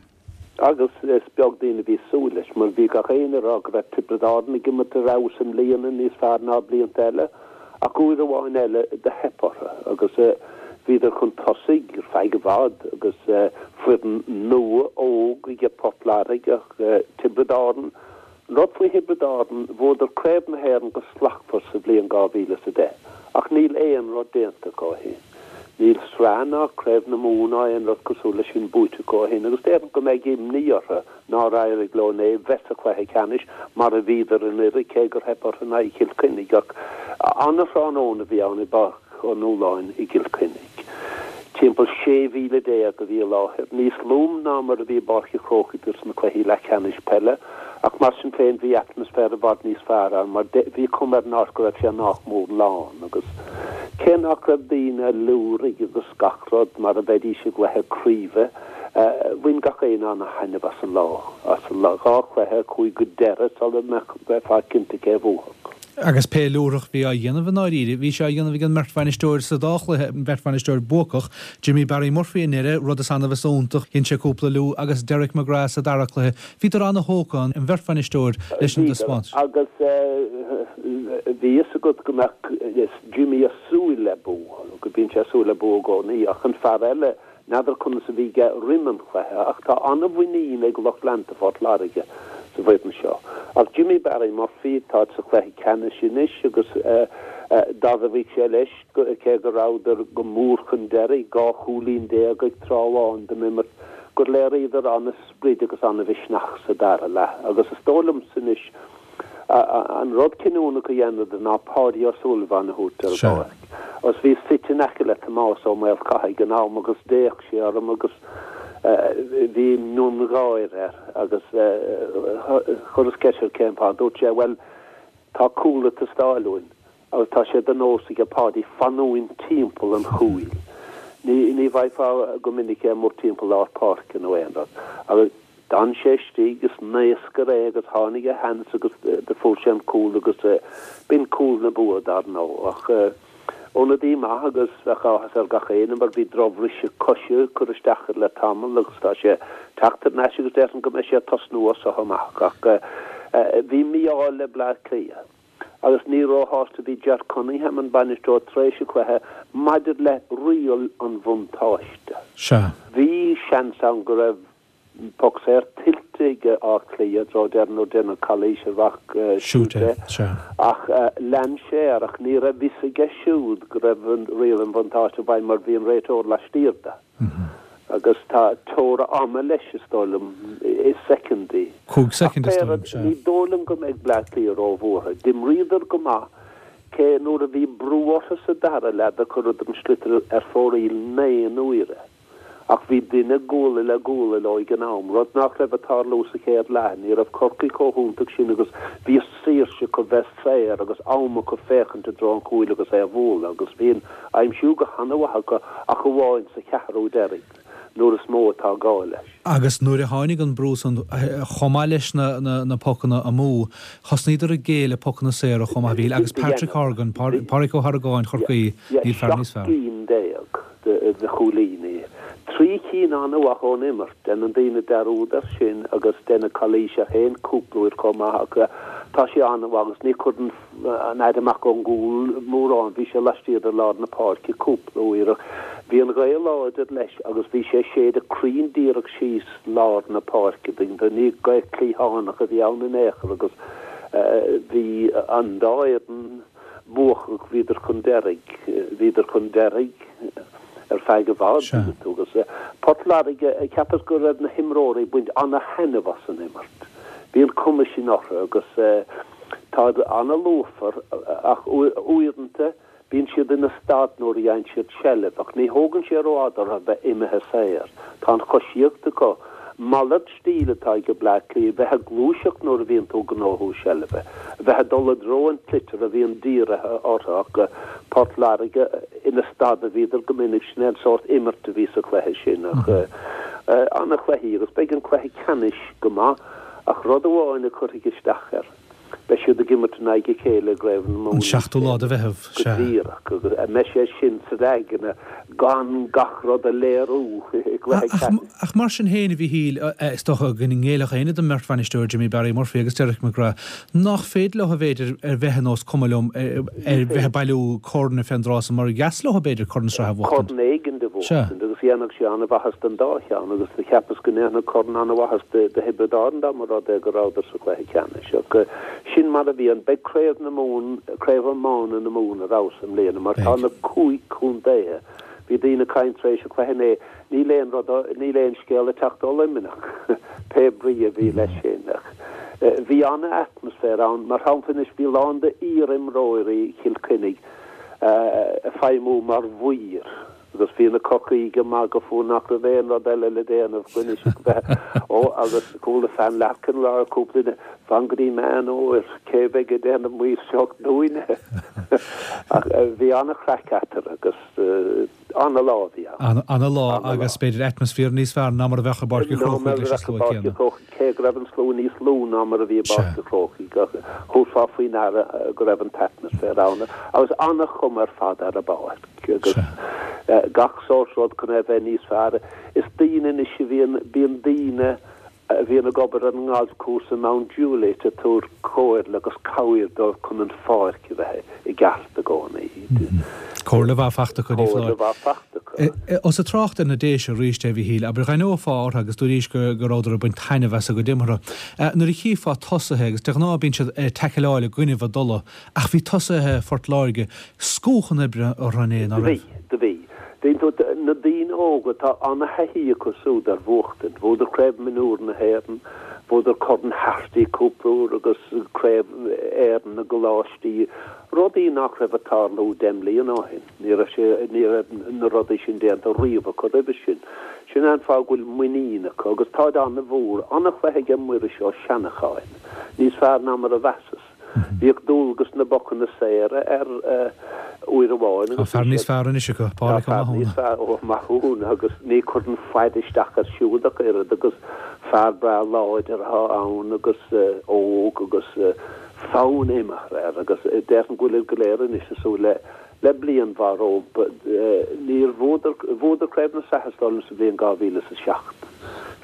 Agus is beag daoine a bhí ag súil leis, mar bhí gach éinne ag rá go raibh Tiobraid Árann ag imirt ar fheabhas i mbliana, níos fearr ná blianta eile, ach uair amháin eile do theip orthu agus bhíodar chun tosaigh ar feadh i bhfad agus foireann nua óg aige Port Láirge ach Tiobraid Árann, An rud faoi Thiobraid Árann, bhuadar Craobh na hÉireann go slachtmhar sa bhliain dhá mhíle is a deich, ach níl aon rud déanta acu ó shin. Níl sraith ná Craobh na Mumhan ná aon rud cosúil leis sin buaite acu ó shin agus déarfainn go mbeidh imní orthu nár éirigh leo inné bheith sa chluiche ceannais mar a bhíodar anuraidh cé gur theip orthu in aghaidh Chill Chainnigh ach ana-thráthnóna a bhí ann i bPáirc Ó Nualláin i gCill Chainnigh. Timpeall sé mhíle déag a bhí i láthair, níos lú ná mar a bhí i bPáirc an Chrócaigh dos na cluichí leathcheannais peile, ach mar sin féin bhí atmaisféar i bhfad níos fearr ann mar bhí cuma ar an áit go raibh sé nách mór lán agus cé nach raibh daoine ag liúirigh agus gach rud mar a bheidís i gcluiche craoibhe, bhain gach éinne ana-thaitneamh as an lá, as an dhá chluiche a chuaigh go deireadh sula mbeifeá cinnte cé a bhuafadh. Agus pé liúrach bhí á dhéanamh i ndáiríre, bhí sé á dhéanamh ag an mbeirt bhainisteoir sa dá chluiche, an bheirt bhainisteoir buacach, Jimmy Barry Murphy i nDoire, rud is annamh is iontach, dhein sé cúpla liú, agus Derek McGrath sa dara cluiche. Bhíodar ana-thógtha, an bheirt bhainisteoir, leis an dtaispeántas. Agus bhí fhios agat go mbeadh Jimmy ag súil le bua, go mbíonn sé ag súil le bua i gcónaí, ach an fear eile, N'fheadar conas a bhí aige roim an chluiche ach tá an-mhuinín ag lucht leanta Phort Láirge sa bhfoireann seo. Ach Jimmy Barry Murphy, táid sa chluiche ceannais anois agus d'admhaigh sé leis, cé go rabhadar go mór chun deiridh, dhá chúilín déag ag tráth amháin den imirt, gur léiríodar an-sprid agus an-mhisneach sa dara leath agus is dóigh liomsa anois An rud cinniúnach a dheineadar ná Páidí Ó Súilleabháin a thabhairt ar an bpáirc. Agus bhíos suite in aice le Tomás Ó Maolchatha ag an am agus d'fhéach sé orm agus bhí miongháire air agus chuireas ceist air cén fáth. Dúirt sé, bhuel, tá cúl ag teastáil uainn agus tá sé de nós aige Páidí fanúint timpeall an chúil. Ní ní bhfaighfeá go minic é amuigh timpeall lár páirce nó aon rud. Agus. D'fhan sé istigh is naoscaire é agus tháinig a sheans agus do fuair sé an cúl agus b'in cúl na bua dar ndóigh. Ach ionadaí maith agus bheadh áthas ar gach éinne mar bhí drochbhriseadh coise ag cur isteach air le tamall agus tá sé ag teacht thar n-ais agus déarfainn go mbeidh sé ag tosnú as so amach. Ach bhí mí-ádh le Bleá Cliath agus ní róshásta a bhí Ger Cunningham, an bainisteoir, tar éis an chluiche maidir le riail an bhuntáiste. Sea. Bhí seans ann go raibh poc saor tuillte ag Áth Cliath i dtreo deireadh nuair a deineadh calaois ar mhac Shute ach lean sé air ach ní raibh fhios aige siúd go raibh an riail an bhuntáiste i bhfeidhm mar bhí an réiteoir laistiar de. Agus tá teora ama leis is dóigh liom i soicindí. Cúig soicind is dóigh liom, sea. Ní dóigh liom go mbeidh Bleá Cliath róbhuartha. D'imríodar go maith cé nuair a bhí brú orthu sa dara leath do cuireadar an sliotar ar fóraoil naoi n-uaire. Ach bhí duine guala le guala leo ag an am, rud nach raibh ag tarlú sa chéad leath. Ní raibh Corcaigh chomh hiontach sin agus bhí saoirse acu bheith saor agus am acu féachaint i dtreo an chúil agus é a bhualadh agus bhí an aimsiú go han-mhaith acu ach amháin sa cheathrú deiridh nuair is mó atá gá leis. Agus nuair a tháinig an brú san, chomh maith leis na pocanna amú, thosnaíodar ag géilleadh pocanna saora chomh maith, a Mhíchíl, agus Patrick Horgan, Pádraic Ó hArgáin Chorcaí, níl fear níos fearr. Seacht gcinn déag de chúilíní. Trí cinn an-mhaith ón imirt. Déanann daoine dearúd air sin agus deineadh calaois air féin cúpla uair chomh maith ach tá sé an-mhaith agus ní chuireann an fhead amach ón gcúl mórán. Bhí sé laistiar de lár na páirce cúpla uair ach bhí an ghaoth láidir leis agus bhí sé ag séideadh cruinn díreach síos lár na páirce. Ní gaoth cliathánach a bhí ann in aon chor agus bhí an dá fhoireann buacach, bhíodar chun deiridh, bhíodar chun deiridh ar feadh i bhfad, tuigeann tú, agus Port Láirge, cheapas go raibh na himreoirí ag baint ana-thaitneamh as an imirt. Bhí an cuma sin orthu agus táid ana-lúfar ach uaireanta bíonn siad ina stad nuair a fhaigheann siad seilbh ach ní thógann sé rófhada orthu bheith imithe saor. Tá an choisíocht acu. Malairt stíl atá ag Bleá Cliath, bheith ag gluaiseacht nuair a bhíonn tú ag gnóthú seilbhe, bheith ag dul i dtreo an tsliotair a bhíonn dírithe orthu ach Port Láirge ina stad a bhíodar go minic, sin é an sórt imirt a bhí sa chluiche sin ach an-chluichí agus beidh an cluiche ceannais go maith ach rud amháin a chuirfidh isteach air. Beidh siad ag imirt in aghaidh a chéile i gCraobh na Mumhan An seachtú lá de Mheitheamh, go sea. díreach, agus an mbeidh sé sin sa aigne gan gach rud a léiriú i gcluiche ceannais? Ach mar sin féin, a Mhíchíl, is dócha go ngéillfeadh éinne don mbeirt bhainisteoir, Jimmy Barry Murphy agus Derek McGrath, nach féidir leo, b'fhéidir, ar bheith ar nós cuma liom, ar bheith ag bailiú corn fén dtráth san, mar dheas leo, b'fhéidir, corn sraithe a bhuachtaint. Corn éigin a bhuachtaint, agus dhéanfadh sé an-mhaitheas don dá cheann, agus do cheapas go ndéanfadh corn an-mhaitheas do Thiobraid Árann dá mba rud é go rabhadar sa chluiche ceannais. Ach sin mar a bhí an. Beidh Craobh na Mumhan, Craobh Iomána na Mumhan ar fheabhas i mbliana mar tá na cúig contaetha. Bhí daoine ag caint tar éis an chluiche inné, níl aon rud, níl aon scéal ag teacht ó Luimneach, pé brí a bhí leis sin. Ach bhí an-atmaisféar ann. Mar shampla anois, bhí lán de iar-imreoirí Chill Chainnigh ag feidhmiú mar mhaoir. Agus bhí na Corcaígh ag magadh fúthu nach raibh aon rud eile le déanamh anois ach bheith, ó, agus chuala Fan Larkin ag rá cúpla duine, fan go dtí Meán Fhómhair, cé a bheidh ag déanamh maoirseacht dúinne? Ach bhí an-chraic eatarthu agus ana-lá a bhí ann. Ana-lá agus b'fhéidir atmaisféar níos fearr ná mar a bheadh i bPáirc an Chrócaigh leis an slua céanna. Cé go raibh an slua níos lú ná mar a bhí i bPáirc an Chrócaigh, ach thabharfá faoi ndeara go raibh an t-atmaisféar ann agus ana-chuma ar fad ar an bpáirc. Agus gach sórt rud chun é a bheith níos fearr. Is daoine anois a bhíonn, bíonn daoine a bhíonn ag obair ar an ngalfchúrsa i Mount Juliet ag tabhairt comhairle agus cabhair dóibh chun an pháirc a bheith i gceart i gcónaí. Comhairle mhaith fachta acu, ní foláir. Comhairle mhaith fachta acu. Ós ag trácht ar na Déise arís é, a Mhíchíl, abair, d'aithneofá orthu agus dúraís go rabhadar ag baint taitneamh as a gcuid imeartha. Nuair a chífeá tosaithe, agus de ghnáth bíonn siad ag taicealáil i gcoinnibh a dtola, ach bhí tosaithe Phort Láirge scúch an oibre orthu inné, ná Do bhí, raibh? do bhí. Dtuigeann tú, na daoine óga, tá ana-thaithí acu súd ar bhuachtaint. Bhuadar Craobh Mionúr na hÉireann, bhuadar Corn Harty cúpla uair agus Craobh Éireann na gColáistí, rudaí nach raibh ag tarlú deich mbliana ó shin. Ní raibh sé, ní raibh na rudaí sin déanta riamh acu roimhe sin. Sin é an fáth go bhfuil muinín acu agus táid ana-mhór. Ana-chluiche aige Muiris Ó Seanacháin. Níos fearr ná mar a mheasas. Bhíodh dualgas na bpocanna saora air uair amháin Tá agus fear bhí níos siad fearr anois acu, Tá Pádraic Ó fear níos Mathúna. fearr, Ó Mathúna, agus ní chuireann faid isteach air siúd ach oiread agus fear breá láidir atá ann agus óg agus fonn imeartha air agus déarfainn go bhfuilid go léir anois ag súil le Le bliain mhaith rompu. Níor bhuadar, bhuadar Craobh na Sraithe is dóigh liom sa bhliain dhá mhíle is a seacht.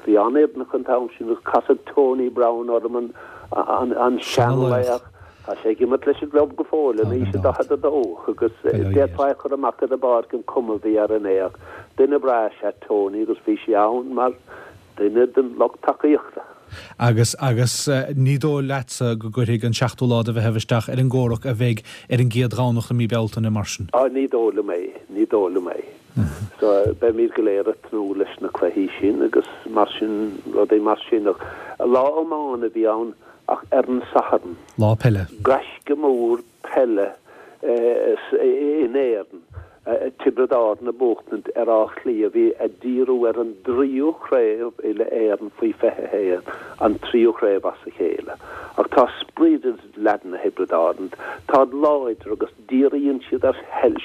Bhí an-fhoireann acu an t-am sin agus casadh Tony Browne orm, an, an, an Seanlaoch. seanlaoch. Tá sé ag imirt leis an gclub go fóill in aois a daichead a dó agus d'fhéadfá é a chur amach ar an bpáirc an cuma a bhí air inné ach duine breá is ea Tony agus bhí sé ann mar duine den lucht tacaíochta. Agus agus ní dóigh leatsa go gcuirfidh an seachtú lá de Mheitheamh isteach ar an gcomhrac a bheidh ar an gcéad Dhomhnach i mí Bealtaine mar sin? Á ní dóigh liom é, ní dóigh liom é. So beimid go léir ag tnúth leis na cluichí sin agus mar sin, rudaí mar sin ach lá iomána a bhí ann ach ar an Satharn. Lá peile. Gaisce mór peile in Éirinn, Tiobraid Árann ag buachtaint ar Áth Cliath a bhí ag díriú ar an dtríú craobh uile-Éireann faoi fiche a haon, an tríú craobh as a chéile. Ach tá sprid ag leaideanna Thiobraid Árann, táid láidir agus díríonn siad ar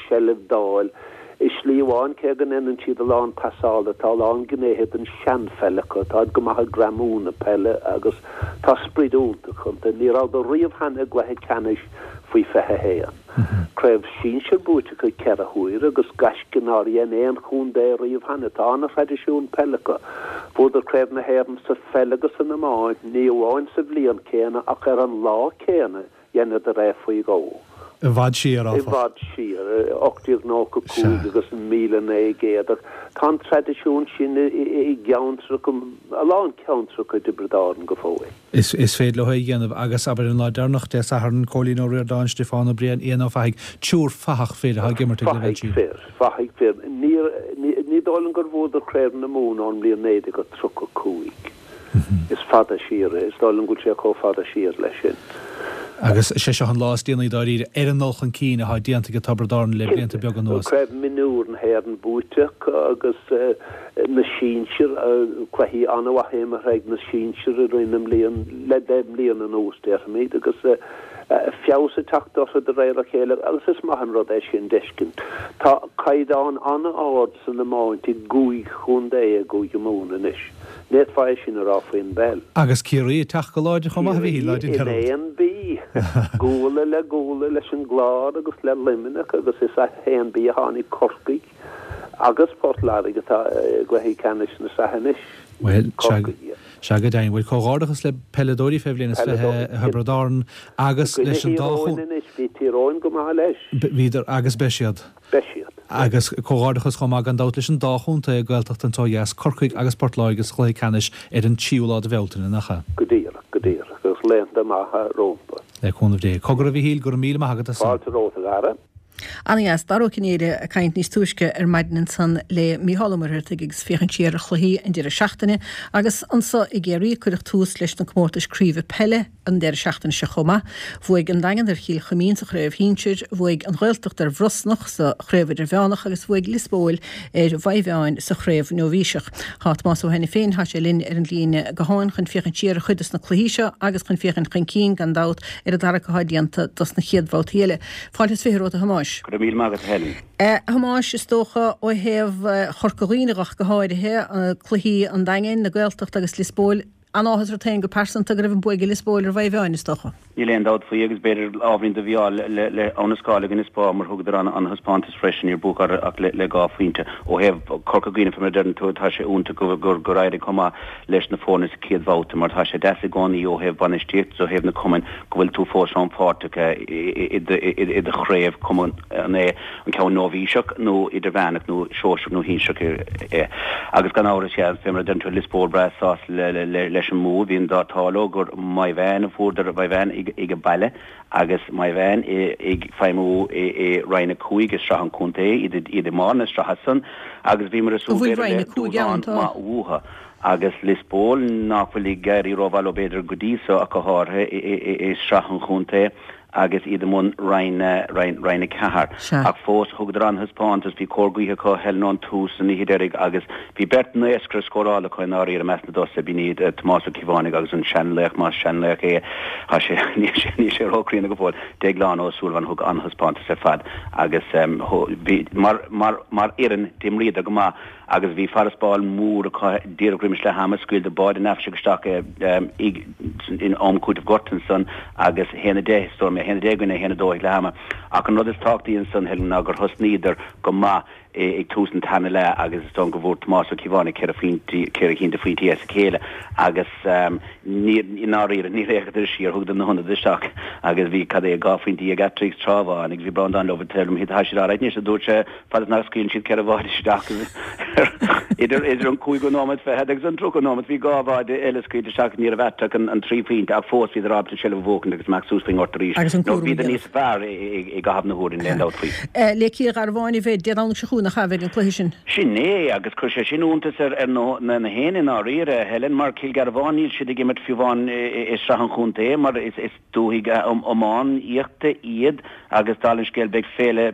sheilbh d'fháil. I slí amháin, cé go ndéanann siad a lán pasála, tá a lán gnéithe den seanpheil acu, táid go maith ag greamú na peile agus tá sprid iontach iontu. Ní rabhadar riamh cheana i gcluiche ceannais faoi fiche a haon. Craobh sinsir buaite acu ceithre huaire agus gaisce nár dhein aon chontae riamh cheana. Tá an-thraidisiún peile acu. Bhuadar Craobh na hÉireann sa pheil agus san iomáint, ní amháin sa bhliain chéanna ach ar an lá céanna. Dheineadar é faoi dhó. I bhfad siar, áfach. I bhfad siar, ocht déag nócha cúig agus míle naoi gcéad. Ach tá an traidisiún sin i gceantracha, a lán ceantracha i dTiobraid Árann go fóill. Is féidir leo é a dhéanamh agus, abair, an lá deireanach, Dé Sathairn, Cóilín Ó Ríordáin, Stiofán Ó Briain, Ian Ó Fathaigh, triúr fathach fir atá ag imirt ag leibhéal Fathaigh fir, fathaigh fir. Ní dóigh liom gur bhuadar Craobh na Mumhan ón mbliain naoi déag tríocha cúig. Is fada siar é. Is dóigh liom go bhfuil sé chomh fada siar leis sin. Agus is é seo an lá is déanaí dáiríre ar an ndul chun cinn atá déanta ag Tiobraid Árann le blianta beaga anuas. Craobh Mionúr na hÉireann buaite acu agus na sinsir, cluichí an-mhaith imeartha ag na sinsir i rith na mblian, le deich mbliana anuas déarfaimid, agus feabhas ag teacht orthu de réir a chéile agus is maith an rud é sin d'fheiscint. Tá caighdeán an-ard san iomáint i gcúig chontae i gCúige Mumhan anois. Ní fhéadfá é sin a rá faoin bpeil. Agus Ciarraí ag teacht go láidir chomh maith, a Mhíchíl, ná déan Ciarraí dearmad. in aon B. Guala le guala leis an gClár agus le Luimneach agus is as haon B a tháinig Corcaigh agus Port Láirge atá i gcluichí ceannais na sraithe anois. Bhuel, sea, Corcaigh. sea go deimhin. Bhuel, comhghairdeachas le peileadóirí fé bhliain is fiche Thiobraid Árann agus I gcoinne leis an Thír dá Eoghain anois, bhí Tír Eoghain go maith leis. Bhíodar agus beidh siad. Beidh siad. Agus comhghairdeachas chomh maith gan dabht leis an dá chontae Gaeltachta anseo dheas, Corcaigh agus Port Láirge sa chluiche ceannais ar an tríú lá de Bhealtaine, nach ea? Go díreach, go díreach. Agus laethanta maithe rompu. Le cúnamh Dé. Cogar a Mhíchíl, go raibh míle maith agat as san. Fáilte romhat a Dhara. Ana-dheas. Dara Ó Cinnéide ag caint níos túisce ar maidin ansan le Mícheál Ó Muircheartaigh agus féachaint siar ar chluichí an deireadh seachtaine. Agus anso i gCiarraí cuireadh tús leis na comórtais craoibhe peile an deireadh seachtaine seo chomh maith. Bhuaigh an Daingean ar Chill Chuimín sa chraobh shinsir, bhuaigh an Ghaeltacht ar Bhrosnach sa chraobh idirmheánach agus bhuaigh Lios Póil ar Mhaigh Mheáin sa chraobh nóibhíseach. Tá Tomás Ó hAiniféin, tá sé linn ar an líne gutháin chun féachaint siar ar chuid dos na cluichí seo agus chun féachaint chun cinn, gan dabht, ar an dtarrac atá déanta dos na chéad bhabhtaí eile. Fáilte is fiche romhat a Thomáis. Go raibh míle maith agat a Helen. A Thomáis, is dócha ó thaobh Chorca Dhuibhne ach go háirithe, cluichí an Daingin, na Gaeltachta agus Lios Póil, an-áthas ort féin go pearsanta go raibh an bua ag Lios Póil ar Mhaigh Mheáin, is dócha. Níl aon dabht faoi agus b'fhéidir ábhairín do mhí-ádh le Abha na Scáil i gcoinne Spá mar thugadar an-thaispeántas freisin, níor buadh orthu ach le dhá phointe. Ó thaobh Chorca Dhuibhne fé mar a deireann tú, tá sé iontach gur éirigh chomh maith leis na foirne sa chéad bhabhta mar tá sé deas i gcónaí ó thaobh bainistíocht is ó thaobh na cumainn go bhfuil tú fós rannpháirteach i do chraobh, cuma an é an ceann nóibhíseach nó idirmheánach nó sóisearach nó shinsearach é. Agus gan amhras, sea, fé mar a deireann tú, Lios Póil breá sásta leis an mbua. Bhí an t-ádh leo gur Maigh Mheáin a fuaireadar, Maigh Mheáin ag a baile agus Maigh Mheáin ag feidhmiú i Roinn a Cúig i Sraith an Chontae, iad i mbarr na sraithe san agus bhíomar ag súil b'fhéidir le dúshlán maith uathu. Agus Lios Póil, nach bhfuil ag éirí rómhaith leo b'fhéidir go dtí so ach go háirithe i Sraith an Chontae agus iad i mbun Roinn Roinn a Ceathair. Ach fós, thugadar an-thaispeántas, bhí cóir gaoithe acu, Helen, ón tús san oíche deiridh agus bhí beirt naoscaire scórála acu i ndáiríre i measc na dtosaithe, b'in iad Tomás Ó Cíobhánaigh agus an seanlaoch, más seanlaoch é, tá sé, níl sé, níl sé róchríonna go fóill, Déaglán Ó Súilleabháin, thug an-thaispeántas ar fad agus bhí, mar, mar, mar fhoireann, d'imríodar go maith. Agus bhí farasbarr mór acu díreach roimis leath ama, scaoileadar báide neafaiseach isteach in am cúitimh gorta ansan agus a haon a deich, is dóigh liom, a haon deich i gcoinne a haon a dó ag leath ama. Ach an rud is tábhachtaí ansan, Helen, ná gur thosnaíodar go maith ag tús an tarna leath agus is dóigh go bhfuair Tomás Ó Cíobháin ceithre phointí, ceithre cinn de phointí as a chéile agus ní, i ndáiríre, níor fhéachadar siar, thugadar na hionadaithe isteach agus bhí, cad é, dhá phointe dhéag eatarthu ag tráth amháin agus bhí Breandán leo, tell him, tá siad alright anois, a dúirt sé, fad is nach scaoileann siad ceithre bháide isteach idir, idir an cúigiú nóiméad fichead agus an tríocha nóiméad, bhí dhá bháide eile scaoilte isteach, ní raibh eatarthu ach an trí phointe ach fós bhíodar ábalta an tseilbh a bhuachaint agus amach suas faoin ngort arís. Agus an Nó cúram a bhíodar dhéanamh. níos fearr i gcaitheamh na huaire, níl aon dabht faoi. Le Cill Gharbháin a bheidh Dé Domhnaigh seo chugainn, nach ea, a bheidh an cluiche sin. Sin é, agus chuir sé sin iontas ar ar na na héinne i ndáiríre, a Helen, mar Cill Gharbháin, níl siad ag imirt fiú amháin i sraith an chontae, mar is is dúthaigh iománaíochta iad agus dála an scéil beidh féile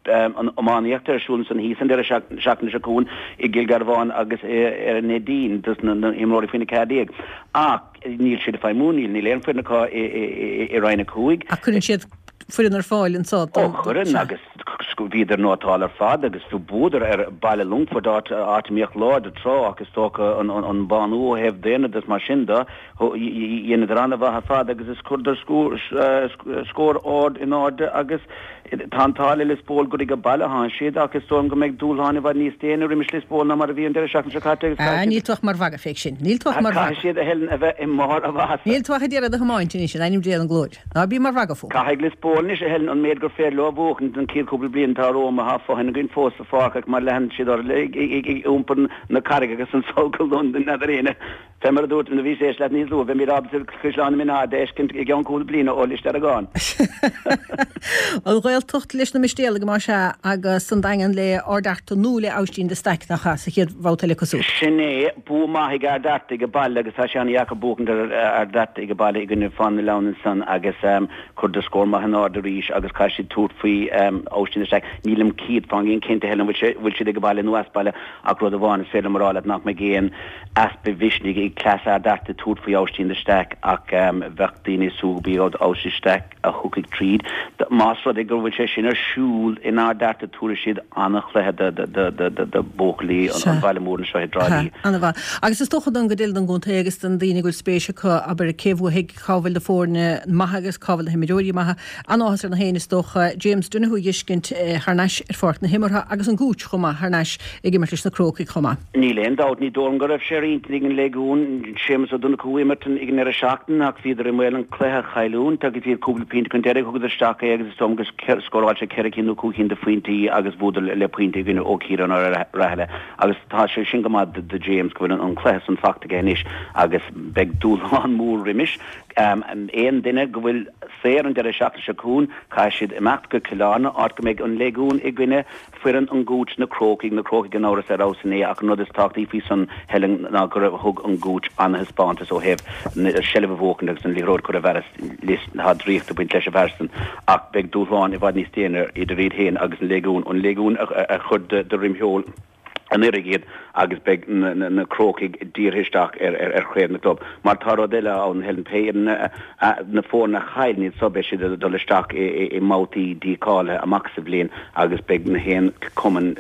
an iománaíochta ar siúl ansan thíos an deireadh seachtaine seo chugainn i gCill Gharbháin agus ar an Neidín dos na himreoirí faoina ceathair déag. Ach níl siad ag feidhmiú, níl níl aon foireann acu i i i Roinn a cúig. Ach cuireann siad foireann ar fáil anso Ó chuireann agus bhíodar nótálta ar fad agus bhuadar ar Baile Longfoirt áit áit a mbíodh láidir tráth ach is dócha an an bánú ó thaobh daonra de is mar sin de dheineadar an-mhaith ar fad agus is chuireadar scór scór ard in airde agus tá an t-ádh le Lios Póil gur ag baile atá siad ach is dóigh liom go mbeidh dúshláin i bhfad níos déine roimis Lios Póil ná mar a bhí an deireadh seachtaine seo caite agus Ah, caithfidh níl siad tú ach mar mhagadh fé sin. Níl tú ach mar caithfidh mhagadh. siad a Helen a bheith i mbarr a mhaitheasa. Níl tú ach ag iarraidh do thiomáint anois in ainm Dé an ghlóir. Ná bí mar mhagadh fúm. Caithfidh Lios Póil anois a Helen an méid gur féidir leo a bhuachan don chéad chúpla bliain atá romham tá fothain againn fós sa pháirc ach mar leanann siad orthu ag iompar na carraige agus an sol go Londain n'fheadar éinne fé mar a dúirt nuair a bhí sé leat níos luaithe beimid ábalta Caisleán na Mine a fheiscint i gceann cúpla bliana ó Lios Deargáin. An Ghaeltacht leis na Mistéalaigh más ea agus an Daingean le Ard Fhearta nó le Aibhistín de Staic nach ea sa chéad bhabhta eile cosúil. Sin é, bua maith ag Ard Fhearta ag baile agus tá sé an-dheacair buachaint ar Ard Fhearta ag baile i gcoinne Fána na Leann ansan agus chuireadar scór maith in airde arís agus caithfidh siad tabhairt faoi Aibhistín de Staic. Nílim céad fán gcéad cinnte Helen an bhfuil siad ag baile nó as baile ach rud amháin is féidir liom a rá leat nach mbeidh aon easpa mhisnigh ag cleas Ard Fhearta tabhairt faoi Aibhistín de Staic ach bheadh daoine ag súil gurb iad Aibhistín de Staic a thiocfaidh tríd. Más rud é go bhfuil sé sin ar siúl in Ard Fhearta tabharfaidh siad an-chluiche do bhuachaillí an bhaile mhóir anseo i dTrá Lí. An-mhaith. Agus is dócha don gcuid eile den gcontae agus don daoine go bhfuil spéis acu abair cé bhuafaidh cá bhfuil na foirne maithe agus cá bhfuil na himreoirí maithe. An-áthas ar na héinne is dócha James Donoghue a fheiscint thar n-ais ar pháirc na himeartha agus an Gooch chomh maith thar n-ais ag imirt leis na Crócaigh chomh maith. Níl aon dabht, ní dóigh liom go raibh sé ar intinn ag an Léigiún Séamus Ó Donnchú imirt ag an ndeireadh seachtaine ach bhíodar i mbaol an cluiche a chailliúint agus iad cúpla pointe chun deiridh thugadar isteach é agus is dóigh liom gur scóráil sé ceithre cinn nó cúig cinn de phointí agus bhuadar le pointe i gcoinne Ó Ciaráin ó Rathaille agus tá sé sin go maith do James go bhfuil an cluiche san fachta aige anois agus beidh dúshlán mór roimis. Aon duine go bhfuil saor an deireadh seachtaine seo chugainn caithfidh siad imeacht go Cill Airne áit go mbeidh an Léigiún i gcoinne foireann an Gooch na Crócaigh, na Crócaigh gan amhras ar fheabhas inné ach an rud is tábhachtaí faoi san Helen ná gur thug an Gooch an-thaispeántas ó thaobh seilbh a bhuachaint agus an liathróid chur i bhfearas Lios tá draíocht ag baint leis an bhfear san ach beidh dúshlán i bhfad níos déine idir iad féin agus an Léigiún, an Léigiún a chuir de dhroim sheoil anuraidh iad agus beidh na Crócaigh dírithe isteach ar chraobh na gclub. Mar tá rud eile ann, Helen, pé na foirne a chailleann iad so beidh siad ag dul isteach i mbabhtaí dícháilithe amach sa bhliain agus beidh na haon cumann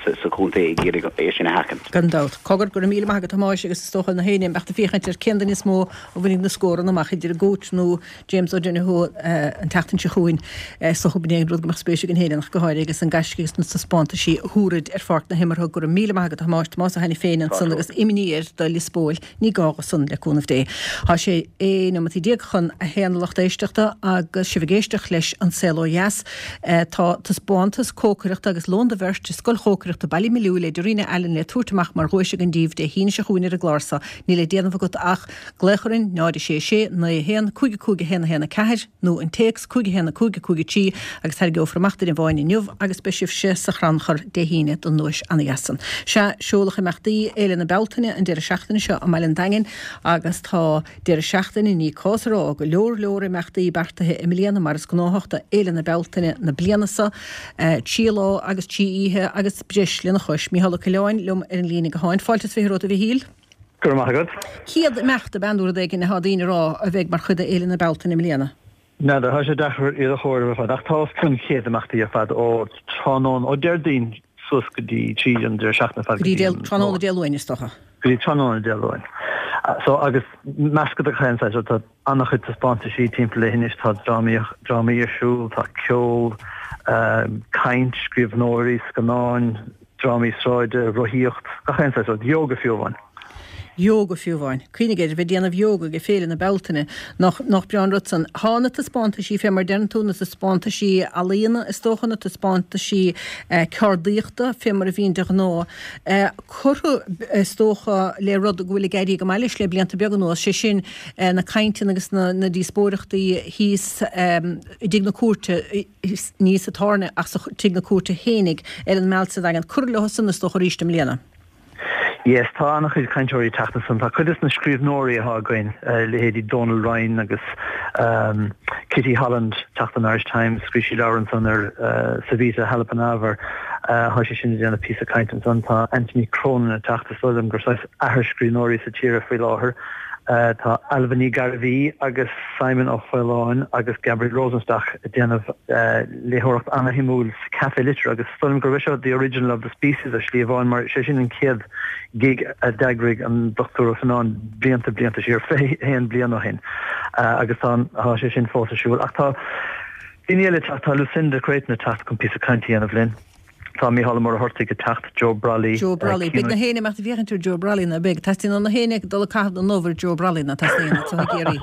sa chontae ag iarraidh é sin a sheachaint. Gan dabht. Cogar, go raibh míle maith agat a Thomáis agus is dócha na héinne a mbeadh ag féachaint ar cén duine is mó a bhainfidh na scóranna amach idir an Gooch nó James O'Donoghue an tseachtain seo chugainn. Is dócha b'in é an rud go mbeadh spéis ag an hÉireannach go háirithe agus an gaisce agus na taispeántaisí a thabhraid ar pháirc na himeartha. Go raibh míle maith agat a Thomáis, Tomás Ó hAiniféin ansan agus imní air do Lios Póil. Ní gá dó san le cúnamh Dé. Tá sé aon neomat déag chun a haon a lucht éisteachta agus sibh ag éisteacht leis An Saol Ó Dheas. Tá taispeántas cócaireachta agus lón do bheirt i Scoil Chócaireachta Ballymaloe le Darina Allen le tabhairt amach mar dhuais againn daoibh Dé hAoine seo chugainn ar an gclár so. Níl le déanamh agat ach glaoch orainn náid a sé sé naoi a haon cúig a cúig a haon a haon a ceathair nó an téacs cúig a haon a cúig a cúig a trí agus tarraingeofar amach duine amháin inniu agus beidh sibhse sa chrannchur Dé hAoine don duais ana-dheas san. Sea, seoladh imeachtaí Fhéile na Bealtaine an deireadh seachtaine seo i mBaile an Daingin agus tá deireadh seachtaine ní cás a rá go leor leor imeachtaí beartaithe i mbliana mar is gnáthach do Fhéile na Bealtaine na bliana seo, trí lá agus trí oíche agus breis lena chois. Mícheál Ó Coileáin liom ar an líne gutháin. Fáilte is fiche romhat a Mhichíl. Go raibh maith agat. Céad imeacht ab ea nó rud éigin atá daoine a rá a bheidh mar chuid d'Fhéile na Bealtaine i mbliana. N'fheadar, tá sé deacair iad a chomhaireamh ar fad, ach tá os cionn céad imeachtaí ar fad ó tráthnóna, ó Déardaoin suas go dtí tríd an deireadh seachtaine ar fad go dtí tráthnóna Dé Luain is dócha. Go dtí tráthnóna Dé Luain. So agus meascadh de chaon saghas, tá an-chuid taispeántaisí timpeall leithinis, tá drámaí drámaí ar siúl, tá ceol, caint, scríbhneoirí, scannáin, drámaí sráide, rothaíocht, gach aon saghas rud, yoga fiú amháin. Yoga fiú amháin. Cuimhnigh air, a bheith ag déanamh yoga ag Féile na Bealtaine, nach nach breá an rud san. Tá na taispeántaisí fé mar deireann tú, na taispeántaisí ealaíona is dócha, na taispeántaisí ceardaíochta fé mar a bhíonn de ghnáth, curtha is dócha le rud go bhfuil ag éirí go maith leis le blianta beaga anuas, sé sin na cainteanna agus na na díospóireachtaí thíos i dTigh na Cúirte, ní sa tábhairne ach sa Tigh na Cúirte fhéinig ar an Meal sa Daingean. Curtha leo san is dócha arís i mbliana. Yes, tá an-chuid cainteoirí ag teacht ansan. Tá cuid des na scríbhneoirí atá againn, leithéidí Donal Ryan agus Kitty Holland, teacht ón Irish Times, scríobh sí leabhar ansan ar Savita Halappanavar, tá sí sin ag déanamh píosa cainte ansan. Tá Anthony Cronin ag teacht, is dóigh liom gur saghas athair scríbhneoirí sa tír é faoi láthair. Tá Ailbhe Ní Ghairbhí agus Simon Ó Faoláin agus Gabriel Rosenstock ag déanamh léitheoireacht ana-shuimiúil sa Café Liteartha agus is dóigh liom gurb é seo the original of the species ar shlí amháin mar sé sin an chéad gig a d'eagraigh an Dochtúir Ó Fionnáin blianta blianta siar, fiche haon bliain ó shin agus tá tá sé sin fós ar siúl. Ach tá daoine eile ag teacht, tá Lucinda Creighton ag teacht chun píosa cainte a dhéanamh linn. Tá Mícheál Ó Muircheartaigh ag teacht, Joe Brolly. Joe Brolly. Beidh na héinne amach ag féachaint ar Joe Brolly ná beidh? Teastaíonn ó na héinne dul ag caitheamh na n-ubh ar Joe Brolly ná teastaíonn anseo i gCiarraí.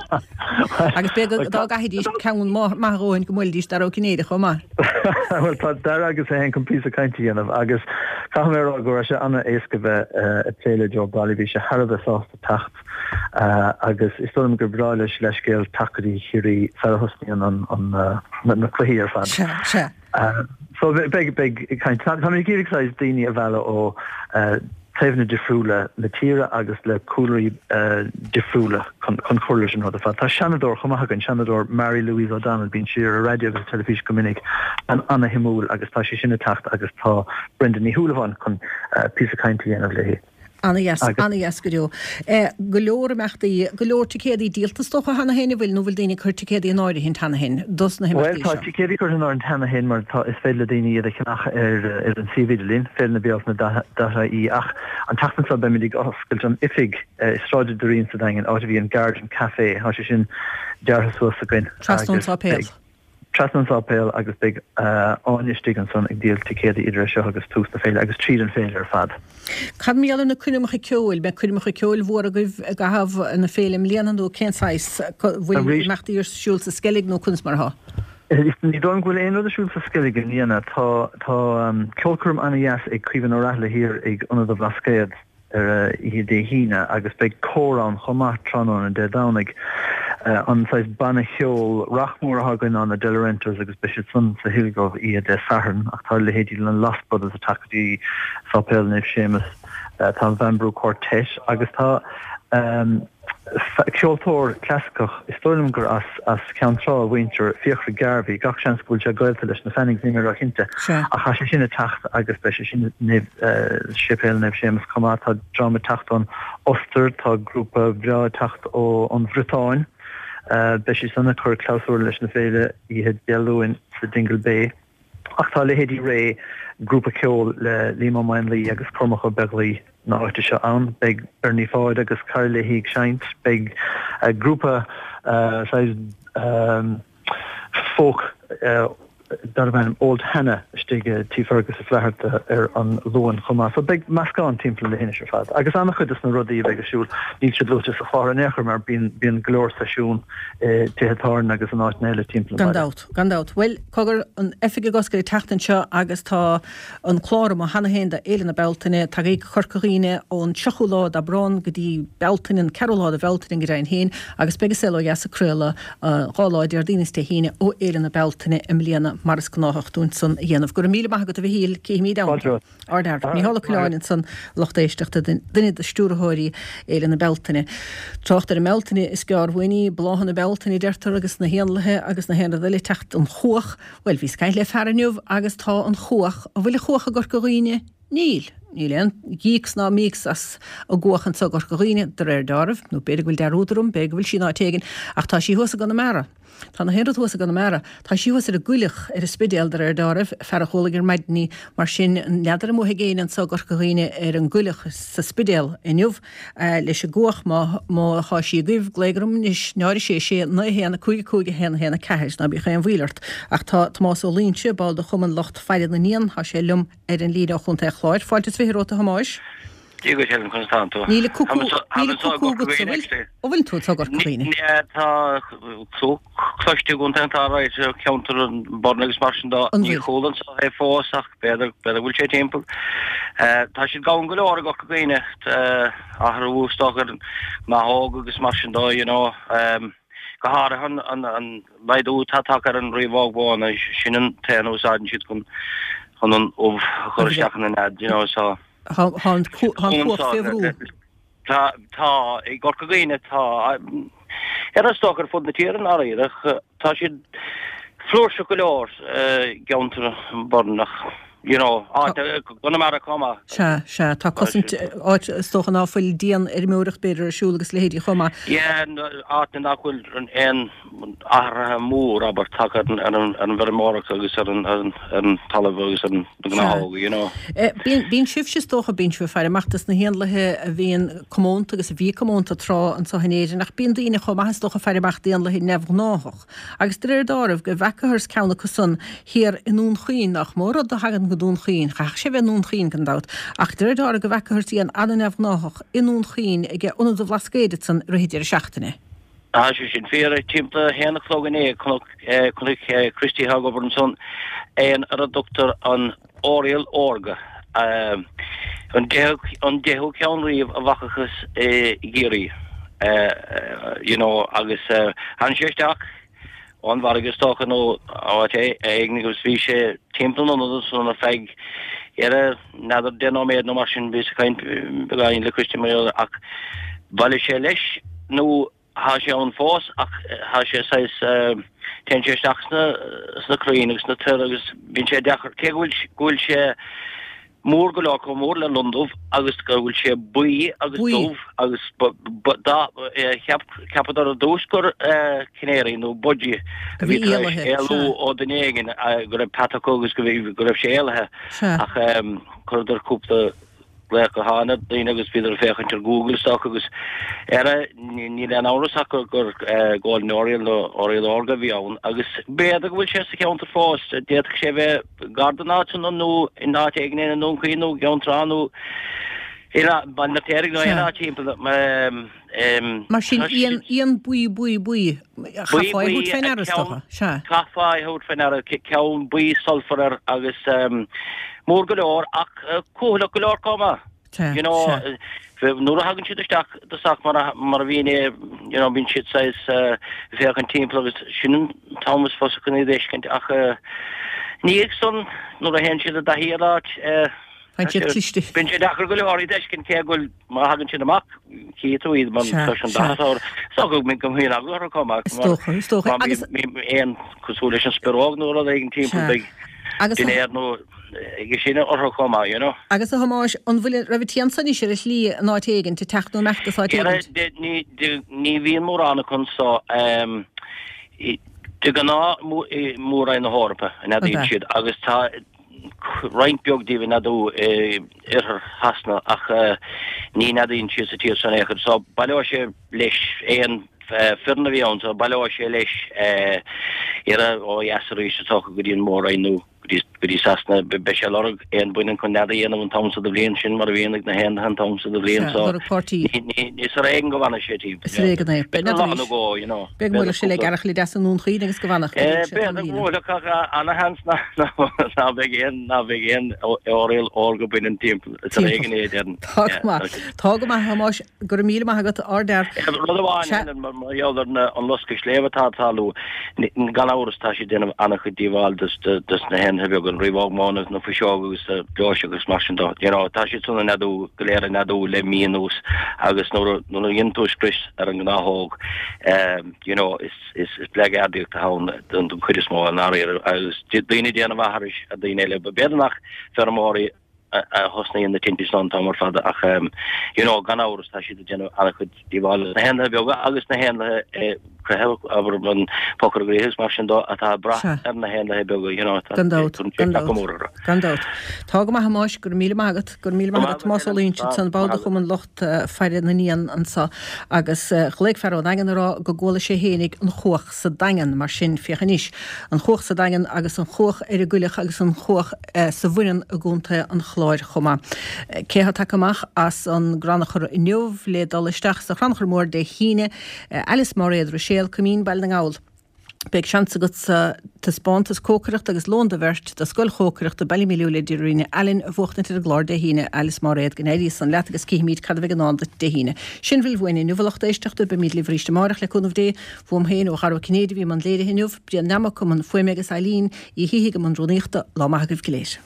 Agus b'fhéidir dá gcaithfidís ceann maith a dhóthain go mbuailfidís Dara Ó Cinnéide chomh maith. Bhuel tá Dara agus é féin chun píosa cainte a dhéanamh agus caithfidh mé a rá go raibh sé an-éasca bheith ag plé le Joe Brolly. Bhí sé thar a bheith sásta teacht agus is dóigh liom gur breá leis leithscéal teacht go dtí Ciarraí sara thosnaíonn na cluichí ar fad. Sea, sea. So beidh, beidh caint. Táimid ag iarraidh saghas daoine a mhealladh ó taobhanna difriúla na tíre agus le cúlraí difriúla chun chun cur leis an rud ar fad. Tá seanadóir chomh maith againn, Seanadóir Mary Louise O'Donnell, bíonn sí ar an raidió agus ar teilifís go minic, bean ana-shuimiúil agus tá sí sin ag teacht agus tá Brenda Ní Shúilleabháin chun píosa cainte a dhéanamh léi. Ana-dheas, ana-dheas go deo. Go leor imeachtaí, go leor ticéadaí díolta is dócha cheana féin, an bhfuil, nó bhfuil daoine ag cur ticéadaí in áirithint cheana féin dos na Bhuel, himeachtaí tá seo? ticéadaí curtha in áirithint cheana féin mar tá, is féidir le daoine iad a cheannach ar ar an suíomh idirlín, féile na bealtaine dot ie ach an tseachtain seo beimid ag oscailt an oifig i Sráid an Doirín sa Daingean, áit a bhí an Garden Café, tá sé sin deartha suas againn Trasna ón agus sáipéal. beidh. Trasna an tsáipéil agus beidh Áine istigh ansan ag díol ticéadaí idir é seo agus tús na féile agus tríd an féile ar fad. Cad mar gheall ar na coirmeacha ceoil? Beidh coirmeacha ceoil mhóra agaibh i gcaitheamh na féile i mbliana nó cén saghas? Bhfuil imeachtaí ar siúl sa Sceilg nó conas mar atá? Ní dóigh liom go bhfuil aon rud ar siúl sa Sceilg i mbliana. Tá tá ceolchoirm ana-dheas ag Caoimhín Ó Raghallaigh thiar ag Ionad an Bhlascaoid. ar oíche Dé hAoine agus beidh cór ann chomh maith tráthnóna Dé Domhnaigh. An saghas banna cheoil rac mór atá againn ná na Delorentos agus beidh siad san sa Hillgrove oíche Dé Sathairn ach tá leithéidí na Lost Brothers ag teacht go dtí Sáipéal Naomh Séamus, tá an Bamboo Quartet agus tá Ceoltóir clasaiceach, is dóigh liom gur as as Ceann Trá a mhuintir, Fiachra Garvey, gach seans go bhfuil sé gaolta leis na Fannings, níl mé róchinnte, ach tá sé sin ag teacht agus beidh sé sin i Séipéal Naomh Séamus chomh maith. Tá dream ag teacht ón Ostair, tá grúpa breá ag teacht ón Bhriotáin, beidh siad san ag cur clabhsúr leis na féile oíche Dé Luain sa Dingle Bay. Ach tá leithéidí Ré, grúpa ceoil le Liam Ó Maonlaí agus Cormac Ó Beaglaoi na háite seo ann. Beidh Bernie Pháid agus cara léi ag seinnt. Beidh grúpa saghas folk darbh ainm Old Hannah istigh i Tí Fergus Uí Fhlatharta ar an Luan chomh maith. So beidh meascán timpeall an leithinis ar fad. Agus an-chuid des na rudaí a bheidh ar siúl, níl siad luaite sa chlár in aon chor mar bíonn bíonn go leor seisiún i dtithe tábhairne agus in áiteanna eile timpeall an Gan bhaile. dabht, gan dabht. Bhuel, cogar, an oifig ag oscailt an tseachtain seo agus tá an clár amuigh cheana féin do Fhéile na Bealtaine. Tagaigí go Corca Dhuibhne ón tríochú lá d'Aibreán go dtí Bealtaine, an ceathrú lá de Bhealtaine go deimhin féin, agus beidh An Saol Ó Dheas ag craoladh dhá lá, Déardaoin is Dé hAoine, ó Fhéile na Bealtaine i mbliana, mar is gnáthach dúinn san a dhéanamh. Go raibh míle maith agat, a Mhichíl, cífimid ann Fáilte thú. romhat. Ardfhear. Mícheál Ó Coileáin ansan, lucht éisteachta, duine de stiúrthóirí Fhéile na Bealtaine. Trácht ar an mBealtaine, is gearr uainn í, bláthanna Bealtaine a deirtear agus na héanlaithe agus na haon rud eile ag teacht, an chuach, bhuel bhíos ag caint le fear inniu agus tá an chuach, an bhfuil an chuach i gCorca Dhuibhne? Níl. Níl aon ghíocs ná míocs as an gcuach anso i gCorca Dhuibhne, de réir deáraimh, nó b'fhéidir go bhfuil dearúd orm, b'fhéidir go bhfuil sí in áit éigin, ach tá sí thuas i gConamara. Tá na haon rud thuas i gConamara. Tá sí thuas ar an gcoileach ar an Spidéal de réir dealraimh, fear a chualaigh ar maidin í. Mar sin, n'fheadar an mbuafaidh éinne anso i gCorca Dhuibhne ar an gcoileach sa Spidéal inniu leis an gcuach. Má tá sí agaibh, glaoigh orm anois, náid a sé sé naoi a haon a cúig a cúig a haon a haon a ceathair. Ná bíodh aon mhoill ort. Ach tá Tomás Ó Loingsigh, ball de Chumann Lucht Faire na nÉan, tá sé liom ar an líne ó Chontae an Chláir. Fáilte is fiche romhat, a Thomáis. Dia duit, Helen, conas tánn tú? Níl cucú, níl cucú agat sa bhfuil? An bhfuil tú ag Corca Dhuibhne? Tá cú cloiste i gContae an Chláir, ceantar an Bhoirinn agus mar sin de. Ní chuala anso é fós ach b'fhéidir, b'fhéidir go bhfuil sé timpeall. Tá siad gann go leor i gCorca Dhuibhne, athrú is dócha ar an ngnáthóg agus mar sin de, you know. Go háirithe an an laghdú atá tagtha ar an riabhóg mhóna, sin an t-éan a úsáideann siad chun chun an ubh a chur isteach ina nead, you know, so. Tá an cuach fé bhrú. Tá, tá, i gCorca Dhuibhne tá, ar is dócha ar fud na tíre i ndáiríre, ach tá siad flúirseach go leor i gceantar an Bhoirinn ach, you know, áit, Conamara chomh maith. Sea, sea, tá cosaint, áit is dócha ná fuil dianfheirmeoireacht b'fhéidir ar siúl agus leithéidí chomh maith. Yeah, áit nach bhfuil aon athruithe mór, abair, tagtha ar an bhfeirmeoireacht agus ar an talamh agus ar na gnáthóga, you know. Bíonn sibhse, is dócha, bíonn sibh ag faire amach dos na héanlaithe a bhíonn comónta agus a bhí comónta tráth anso in Éirinn, ach bíonn daoine chomh maith, is dócha, ag faire amach d'éanlaithe neamhghnáthach. Agus de réir dealraimh, go bhfeacathas ceann acu san thiar i nDún Chaoin, nach mó rud a thagann go Dún Chaoin, chaithfeadh sé bheith i nDún Chaoin gan dabht, ach de réir dealraimh go bhfeacathas éan an-neamhghnáthach i nDún Chaoin ag Ionad an Bhlascaoid ansan i rith an deireadh seachtaine. Tá sé sin fíor. Timpeall a haon a chlog inné, chonaic Christy atá ag obair ansan éan ar a dtugtar an Oriole Órga, an deichiú ceann riamh a bhfacathas i gCiarraí, you know, agus tháinig sé isteach ón bhfarraige is dócha nó áit éigin agus bhí sé timpeall an ionaid ansan ar feadh n'fheadar deich nóiméad nó mar sin, bhíos ag caint beagáinín le Christy mar gheall air ach bhailigh sé leis nó Thá sé ann fós ach thá sé saghas, téann sé isteach sna, sna crainn agus sna toir agus bíonn sé deacair, cé go bhfuil, go bhfuil sé mór go leor, chomh mór le londubh agus go bhfuil sé buí agus Buí. dubh agus ba, ba, dá, cheap, cheapadar ar dtús gur canary nó budgie A a bhí bhí tar éis éalaithe, éalú sea. ó duine éigin, go raibh peata acu agus go bhí, go raibh sé éalaithe Sea. ach chuireadar cúpla glaoch gutháin ar dhaoine agus bhíodar ag féachaint ar Google is dócha agus ar níl aon amhras ach gur gur Golden Oriole nó Oriole Órga a bhí ann agus b'fhéidir go bhfuil sé sa cheantar fós, d'fhéadfadh sé bheith gar don áit san nó in áit éigin i nDún Chaoin nó i gCeann Trá nó i Baile an Fheirtéaraigh nó aon áit timpeall. Mar sin, éan, éan buí, buí, buí, chaithfeá é a thabhairt fé ndeara is dócha, sea. Chaithfeá é a thabhairt fé ndeara, ceann buí sulfar air agus mór go leor ach cúthaileach go leor chomh maith. Sea, You know, sea. nuair a thagann siad isteach i dtosach mar a, mar a bhí inné, you know, bíonn siad saghas ag féachaint timpeall agus sin an t-am is fusa chun iad a fheiscint ach ina dhiaidh san nuair a théann siad i dtaithí ar áit, Faigheann siad cliste. Bíonn sé deacair go leor iad a fheiscint cé go bhfuil, má thagann siad amach, chífidh tú iad mar Sea, tá an sea. dath orthu. Is dócha go mbíonn go mbíonn eagla orthu chomh maith Is dócha, is dócha. mar Agus. bíonn éan cosúil leis an spioróg nó rud éigin timpeall Sea. beidh Agus a. dinnéar nó aige sin orthu chomh maith, you know. Agus a Thomáis, an bhfuil, raibh an t-éan san anois ar a shlí in áit éigint, ag teacht nó imeacht as áit éigint? Ní, ní bhíonn mórán acu anso. De ghnáth i Mór-Roinn na hEorpa a Ab ea? neadaíonn siad agus tá roinnt beag díobh ag neadú i oirthear Shasana ach ní neadaíonn siad sa tír seo in aon chor. So baileoidh sé leis éan fireann a bhí ann so baileoidh sé leis iarraidh ó dheas arís is dócha go dtí an Mór-Roinn nó go dtí go dtí Sasana. Beidh sé ag lorg éan baineann chun nead a dhéanamh an t-am so de bhliain, sin mar a bhíonn ag na héanlaithe an t-am so de bhliain Sea, so lorg páirtí. ní ní ní is ar éigean go bhfanfaidh sé timpeall. Is ar éigean é. B'fhéidir N'fheadar lá nó arís. dhó, you know. B'fhéidir go B'fhéidir mbuailfeadh sé le cúpla. gearrchaile deas i nDún Chaoin agus go bhfanfadh go dtí sé B'fhéidir go tamallín. mbuailfeadh ach ana-sheans ná beidh aon ná beidh aon oriole órga baineann timpeall. Is ar Timpeall. éigean é, déarfainn. Tá go maith. Tá go maith, a Thomáis. Go raibh míle maith agat, ardfhear. Rud amháin, Sea. Helen, mar gheall ar an loscadh sléibhe atá ag tarlú, gan amhras tá sé ag déanamh an-chuid díobháil dos na héanlaithe beaga, an riabhóg mhóna, na fuiseoga agus na gleoiseacha agus mar sin de. You know, tá siad san ag neadú, go léir ag neadú le mí anuas agus nuair a dhéanann tú scrios ar an ngnáthóg, you know, is is blackguardaíocht atá ann don chuid is mó i ndáiríre agus daoine ag déanamh aithris ar daoine eile. B'fhéidir nach feirmeoirí a thosnaíonn na tinte san an t-am ar fad ach you know gan amhras tá siad ag déanamh an-chuid díobhála na héanlaithe beaga agus na héanlaithe creathadh, abair, an pocaire gaoithe agus mar sin dó atá ag brath ar na héanlaithe beaga, you know, Gan dabht, gan dabht, gan dabht. Tá go maith a Thomáis, go raibh míle maith agat, go raibh míle maith agat Tomás Ó Loingsigh ansan, ball de Chumann Lucht Faire na nÉan anso agus ghlaoigh fear ón Daingean a rá go gcuala sé fhéinig an chuach sa Daingean, mar sin féach anois, an chuach sa Daingean agus an chuach ar an gCoilleach agus an chuach sa Bhoireann i gContae an Chláir chomh maith. Cé atá tagtha amach as an gCrannchur inniu le dul isteach sa Chrannchur Mór Dé hAoine? Alice Máiréad Ruiséal, Coimín, Baile na nGall. Beidh seans agatsa taispeántas cócaireachta agus lón do bheirt do Scoil Chócaireachta Ballymaloe le Deirdre Allen a bhuachtaint ar an gclár Dé hAoine. Alice Máiréad, go n-éirí san leat agus cífimid cad a bheidh i ndán duit Dé hAoine. Sin a bhfuil uainn inniu, a lucht éisteachta. Beimid libh arís amárach le cúnamh Dé. Uaim féin, ó Dhara Ó Cinnéide a bhí i mbun léirithe inniu, Brian Nammock i mbun fuaime agus Eileen Uí Shíthigh i mbun rúnaíochta. Lá maith agaibh go léir.